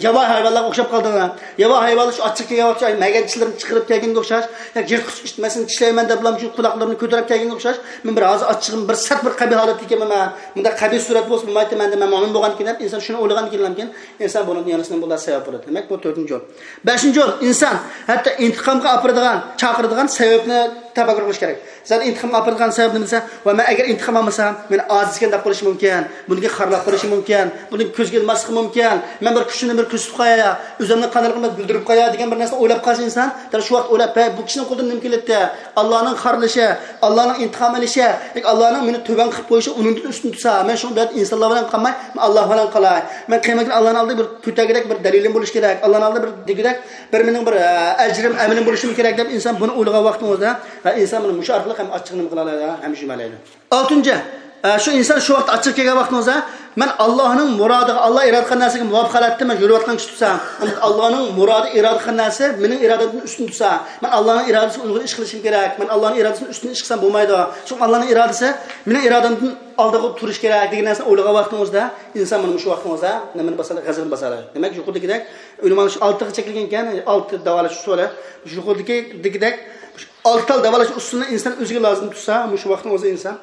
ياۋايى ھايۋانلارغا ئوخشاپ قالدىم. ياۋايى ھايۋانلار شۇ ئاچچىقى كەلگەن ۋاقىت شۇ مەگەن چىشلىرىنى چىقىرىپ كەلگەنگە ئوخشاش، ياكى يىرتقۇچ ئىت مەن سېنى چىشلەيمەن دەپ بۇلار شۇ قۇلاقلىرىنى كۆتۈرۈپ كەلگەنگە ئوخشاش، مەن بىر ھازىر ئاچچىقىم بىر سەت بىر قەبىھ ھالەتكە كېلىمەن. مۇنداق قەبىھ سۈرەت بولسا بولمايتتى مەندە، مەن مۆمىن بولغاندىكىن دەپ ئىنسان شۇنى ئويلىغاندىكىن، ئىنسان بۇنىڭدىن يانىسىنىڭ بۇلار سەۋەب بولىدۇ. دېمەك، بۇ تۆتىنچى يول. بەشىنچى يول، ئىنسان ھەتتا ئىنتىقامغا ئاپىرىدىغان، چاقىرىدىغان سەۋەبنى تەپەككۇر قىلىش كېرەك. زادى ئىنتىقامغا ئاپىرىدىغان سەۋەب نېمە دېسە، ۋە مەن ئەگەر ئىنتىقام ئالمىسام، مېنى ئاجىز ئىكەن دەپ قويۇشى مۇمكىن، بۇنىڭكى خارلاپ قويۇشى مۇمكىن، بۇنىڭ كۆزگە ئىلماسلىقى مۇمكىن، مەن بىر كۈچۈمنى بىر كۆرسىتىپ قوياي، ئۆزۈمنىڭ قانداقلىقىنى بىر بىلدۈرۈپ قوياي دېگەن بىر نەرسىنى ئويلاپ قالسا ئىنسان، دەل شۇ ۋاقىت ئويلاپ، ھەي، بۇ كىشىنىڭ قولىدىن نېمە كېلەتتى؟ ئاللانىڭ خارلىشى، ئاللانىڭ ئىنتىقام ئېلىشى، ياكى ئاللانىڭ مېنى تۆۋەن قىلىپ قويۇشى ئۇنىڭدىن ئۈستۈن تۇرسا، مەن شۇنىڭ بىلەن ئىنسانلار بىلەن قالماي، مەن ئاللا بىلەن قالاي. مەن قىيامەت كۈنى ئاللانىڭ ئالدىدا بىر كۆتەرگۈدەك بىر دەلىلىم بولۇشى كېرەك. ئاللانىڭ ئالدىدا بىر دېگۈدەك بىر مېنىڭ بىر، ئە، ئەجرىم، ئەمىلىم بولۇشىمۇ كېرەك دەپ ئىنسان بۇنى ئويلىغان ۋاقتىڭىزدا، ھە، ئىنسان مانا مۇشۇ ئارقىلىق ھەم ئاچچىقىنى نېمە قىلالايدۇ، ھەم يۈمەلەيدۇ. ئالتىنچى، ئە، شۇ ئىنسان شۇ ۋاقىت ئاچچىقى كەلگەن ۋاقتىڭىزدا، مەن ئاللانىڭ مۇرادىغا، ئاللا ئىرادە قىلغان نەرسىگە مۇۋاپىق ھالەتتە مەن يۈرۈۋاتقان كىشى تۇرسا، ئاللانىڭ مۇرادى، ئىرادە قىلغان نەرسە مېنىڭ ئىرادەمدىن ئۈستۈن تۇرسا، مەن ئاللانىڭ ئىرادىسىگە ئۇيغۇن ئىش قىلىشىم كېرەك، مەن ئاللانىڭ ئىرادىسىدىن ئۈستۈن ئىش قىلسام بولمايدۇ. چۈنكى ئاللانىڭ ئىرادىسى مېنىڭ ئىرادەمدىن ئالدىغا تۇرۇش كېرەك دېگەن نەرسىنى ئويلىغان ۋاقتىڭىزدا، ئىنسان مانا مۇشۇ ۋاقتىڭىزدا نېمىنى باسالايدۇ؟ غەزىپىنى باسالايدۇ. دېمەك، يۇقىرىدىكىدەك ئۆلىمانىڭ شۇ ئالتىغا چەكلىگەن ئىكەن، ئالتە داۋالاش ئۇسۇلى. يۇقىرىدىكىدەك ئالتە تال داۋالاش ئۇسۇلىنى ئىنسان ئۆزىگە لازىم تۇتسا، مۇشۇ ۋاقىتنىڭ ئۆزىدە ئىنسان،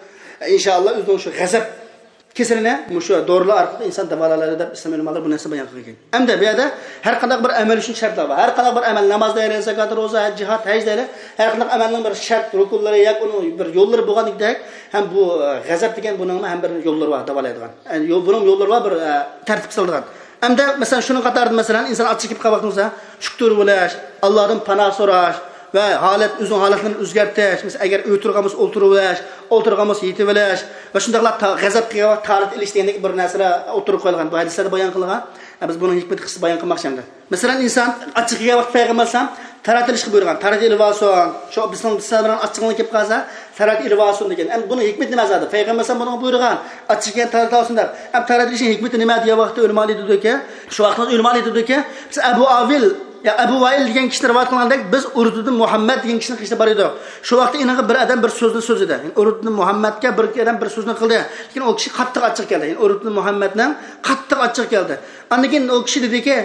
ئىنشائاللا، ئۆزىنىڭ شۇ غەزەپ كېسىلىنى مۇشۇ دورىلار ئارقىلىق ئىنسان داۋالالايدۇ دەپ ئىسلام ئۆلىمالىرى بۇ نەرسىنى بايان قىلغان. ئەمدى بۇ يەردە ھەر قانداق بىر ئەمەل ئۈچۈن شەرتلەر بار. ھەر قانداق بىر ئەمەل، ناماز دەيلى، زاكات، روزا، ھەج، جىھاد، ھەج دەيلى، ھەر قانداق ئەمەلنىڭ بىر شەرت، رۇكۇنلىرى ياكى ئۇنىڭ بىر يوللىرى بولغاندەك، ھەم بۇ، ئە، غەزەپ دېگەن بۇنىڭمۇ ھەم بىر يوللىرى بار داۋالايدىغان. يەنى يول، بۇنىڭ يوللىرى بار بىر، ئە، تەرتىپ سالىدىغان. ئەمدى مەسىلەن، شۇنىڭ قاتارىدا مەسىلەن، ئىنسان ئاچچىقى كېلىپ قالغان ۋاقتىمىزدا شۈكۈر بولۇش، ئاللادىن پاناھ سوراش ۋە ھالەت، ئۆزىنىڭ ھالەتلىرىنى ئۆزگەرتىش. مەسىلەن، ئەگەر ئولتۇرغان بولسا ئولتۇرۇۋېلىش، ئولتۇرغان بولسا يېتىۋېلىش ۋە شۇنداقلا تا-، غەزەپ قىلغان ۋاقىت تارەت ئېلىش دېگەندەك بىر نەرسىلەر ئوتتۇرىغا قويۇلغان. بۇ ھەدىسلەردە بايان قىلغان. ھە، بىز بۇنىڭ ھېكمىتى قىسقىچە بايان قىلماقچى ئەمدى. مەسىلەن، ئىنسان ئاچچىقى كەلگەن ۋاقىت پەيغەمبەر ئەلەيھىسسالام تارەت ئېلىشقا بۇيرۇغان. تارەت ئېلىۋالسۇن. شۇ بىزنىڭ، بىز بىلەن ئاچچىقىڭلار كېلىپ قالسا، تارەت ئېلىۋالسۇن دېگەن. ئەمدى بۇنىڭ ھېكمىتى نېمە زادى؟ پەيغەمبەر ئەلەيھىسسالام بۇنىڭغا بۇيرۇغان، ئاچچىقى كەلگەن تارەت ئالسۇن دەپ. ئەمدى تارەت ئېلىشنىڭ ھېكمىتى نېمە دېگەن ۋاقىتتا ئۆلىمالار ئېيتىدۇكى، شۇ ۋاقىتتا ئۆلىمالار ئېيتىدۇكى، بىز ئەبۇ ئاۋىل، يا ئەبۇ ۋائىل دېگەن كىشىنى رىۋايەت قىلغاندەك، بىز ئۇرۋىتۇبنى مۇھەممەد دېگەن كىشىنىڭ قېشىدا بار ئىدۇق. شۇ ۋاقىتتا ئېنىڭغا بىر ئادەم بىر سۆزنى سۆزلىدى. يەنى ئۇرۋىتۇبنى مۇھەممەدكە بىر ئادەم بىر سۆزنى قىلدى. لېكىن ئۇ كىشى قاتتىق ئاچچىقى كەلدى. يەنى ئۇرۋىتۇبنى مۇھەممەدنىڭ قاتتىق ئاچچىقى كەلدى. ئاندىن كېيىن ئۇ كىشى دېدىكى،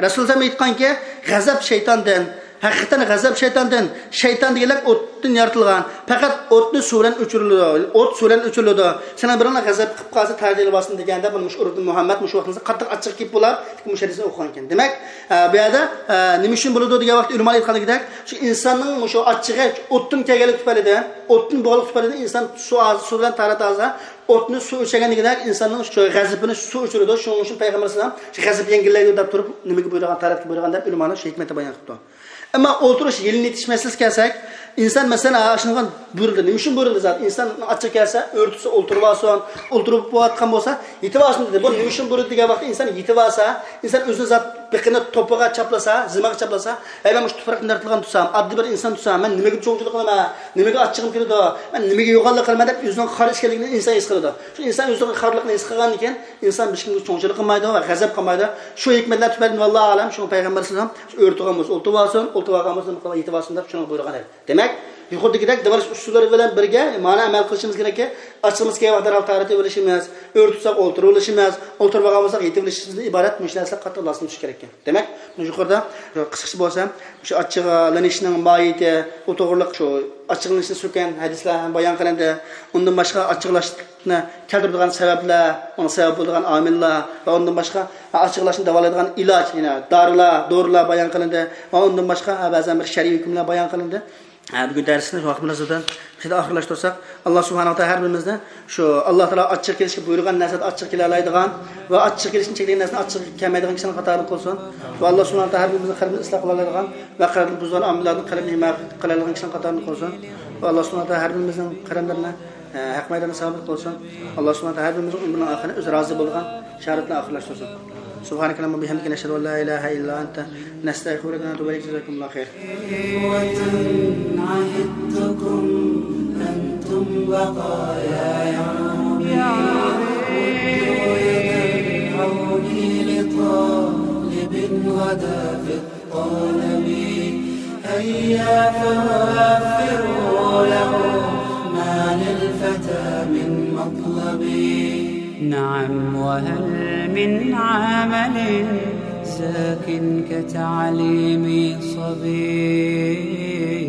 رەسۇلۇللاھ ئېيتقانكى، غەزەپ شەيتاندىن، ھەقىقەتەن غەزەپ شەيتاندىن، شەيتان دېگەنلەر ئوتتىن يارىتىلغان، پەقەت ئوتنى سۇ بىلەن ئۆچۈرۈلىدۇ، ئوت سۇ بىلەن ئۆچۈرۈلىدۇ، سېنىڭ بىرىڭلار غەزەپ قىلىپ قالسا تارەت ئېلىۋالسۇن دېگەندە، مانا مۇشۇ ئۇرۋىتۇبنى مۇھەممەد مۇشۇ ۋاقتىڭىزدا قاتتىق ئاچچىقى كېلىپ بولار، مۇشۇ ھەدىسنى ئوقۇغان ئىكەن. دېمەك، ئە، بۇ يەردە، ئە، نېمە ئۈچۈن بولىدۇ دېگەن ۋاقىتتا ئۆلىمالار ئېيتقاندەك، شۇ ئىنساننىڭ مۇشۇ ئاچچىقى ئوتتىن كەلگەنلىكى تۈپەيلىدىن، ئوتتىن بولغانلىقى تۈپەيلىدىن ئىنسان سۇ، سۇ بىلەن تارەت ئالسا، ئوتنى سۇ ئۆچۈرگەندىكىدەك ئىنساننىڭ شۇ غەزىپىنى سۇ ئۆچۈرىدۇ. شۇنىڭ ئۈچۈن پەيغەمبەر ئەلەيھىسسالام شۇ غەزەپ يەڭگىللەيدۇ دەپ تۇرۇپ، نېمىگە بۇيرۇغان، تارەتكە بۇيرۇغان دەپ ئۆلىمالار شۇ ھېكمەتنى بايان قىلىپتۇ. ئەمما ئولتۇرۇش، يېلىنىۋېتىش مەسىلىسىگە كەلسەك، ئىنسان مەسىلەن، ئاشۇنىڭغا بۇيرۇلدى. نېمە ئۈچۈن بۇيرۇلدى زادى؟ ئىنسان ئاچچىقى كەلسە، ئۆرتىسە ئولتۇرۇۋالسۇن، ئولتۇرۇپ بولۇۋاتقان بولسا، يېتىۋالسۇن دېدى. بۇ نېمە ئۈچۈن بۇيرۇلدى دېگەن ۋاقىتتا ئىنسان يېتىۋالسا، ئىنسان ئۆزىنى زادى بېقىنى توپىغا چاپلىسا، زىمىغا چاپلىسا، ھەي، مەن مۇشۇ تۇپراقتىن يارىتىلغان تۇرسام، ئاددىي بىر ئىنسان تۇرسام، مەن نېمىگە چوڭچىلىق قىلىمەن؟ نېمىگە ئاچچىقىم كېلىدۇ؟ مەن نېمىگە يوغانلىق قىلىمەن دەپ ئۆزىنىڭ خار ئىكەنلىكىنى ئىنسان ھېس قىلىدۇ. شۇ ئىنسان ئۆزىنىڭ خارلىقىنى ھېس قىلغاندىن كېيىن، ئىنسان ھېچكىمگە چوڭچىلىق قىلمايدۇ ۋە غەزەپ قىلمايدۇ. شۇ ھېكمەتلەر تۈپەيلىدىن، ۋاللاھۇ ئەلەم، شۇڭا پەيغەمبەر ئەلەيھىسسالام، «ئۆرە تۇرغان بولسا ئولتۇرۇۋالسۇن، ئولتۇرۇۋالغان بولسا نېمە قىلىپ يېتىۋالسۇن» دەپ شۇنىڭغا بۇيرۇغان ئىدى. دېمەك، يۇقىرىدىكىدەك داۋالاش ئۇسۇللىرى بىلەن بىرگە مانا ئەمەل قىلىشىمىز كېرەككى، ئاچچىقىمىز كەلگەن ۋاقىتتا دەرھال تارەت ئېلىۋېلىشىمىز، ئۆرە تۇتساق ئولتۇرۇۋېلىشىمىز، ئولتۇرۇپ ئالغان بولساق يېتىۋېلىشىمىزدىن ئىبارەت مۇشۇ نەرسىلەر قاتتىق لازىملىشىشى كېرەككەن. دېمەك، يۇقىرىدا قىسقىچە بولسا، شۇ ئاچچىقلىنىشنىڭ ماھىيىتى، ئۇ توغرىلىق شۇ ئاچچىقلىنىشنى سۆككەن ھەدىسلەر بايان قىلىندى. ئۇندىن باشقا ئاچچىقلاشنى كەلتۈرىدىغان سەۋەبلەر، ئۇنىڭ سەۋەب بولىدىغان ئامىللار ۋە ئۇندىن باشقا ئاچچىقلاشنى داۋالايدىغان ئىلاج، يەنە دارىلار، دورىلار بايان قىلىندى ۋە ئۇندىن باشقا بەزەن بىر شەرئىي ھۆكۈملەر بايان قىلىندى. ھە، بۈگۈن دەرسنى شۇ ۋاقىت مۇناسىۋىتى بىلەن مۇشۇ يەردە ئاخىرلاشتۇرساق، ئاللا سۇبھانەھۇ ۋە تائالا ھەر بىرىمىزنى شۇ ئاللا تائالا ئاچچىق كېلىشكە بۇيرۇغان نەرسىدە ئاچچىق كېلەلەيدىغان ۋە ئاچچىق كېلىشنى چەكلىگەن نەرسىدە ئاچچىق كەلمەيدىغان كىشىلەرنىڭ قاتارىدا قىلسۇن. ۋە ئاللا سۇبھانەھۇ ۋە تائالا ھەر بىرىمىزنىڭ قەلبىنى ئىسلاھ قىلالايدىغان ۋە قەلبىنى بۇزىدىغان ئامىللاردىن قەلبىنى ھىمايە قىلالايدىغان كىشىلەرنىڭ قاتارىدا قىلسۇن. ۋە ئاللا سۇبھانەھۇ ۋە تائالا ھەر بىرىمىزنىڭ قەدەملىرىنى، ئە، ھەق مەيداندا سابىت قىلسۇن. ئاللا سۇبھانەھۇ ۋە تائالا ھەر بىرىمىزنىڭ ئۆمرىنىڭ ئاخىرىنى ئۆزى رازى بولىدىغان شاھادەتنى ئاخىرلاشتۇرسۇن. سبحانك اللهم وبحمدك، نشهد أن لا إله إلا أنت، نستغفرك ونتوب إليك. جزاكم الله خير. إخوة، عهدتكم أنتم بقايا يا ربي، ردوا يد العون لطالب غدا في الطلب. هيا فوفروا له ما للفتى من مطلب. نعم، وهل من عمل زاك كتعليم صبي؟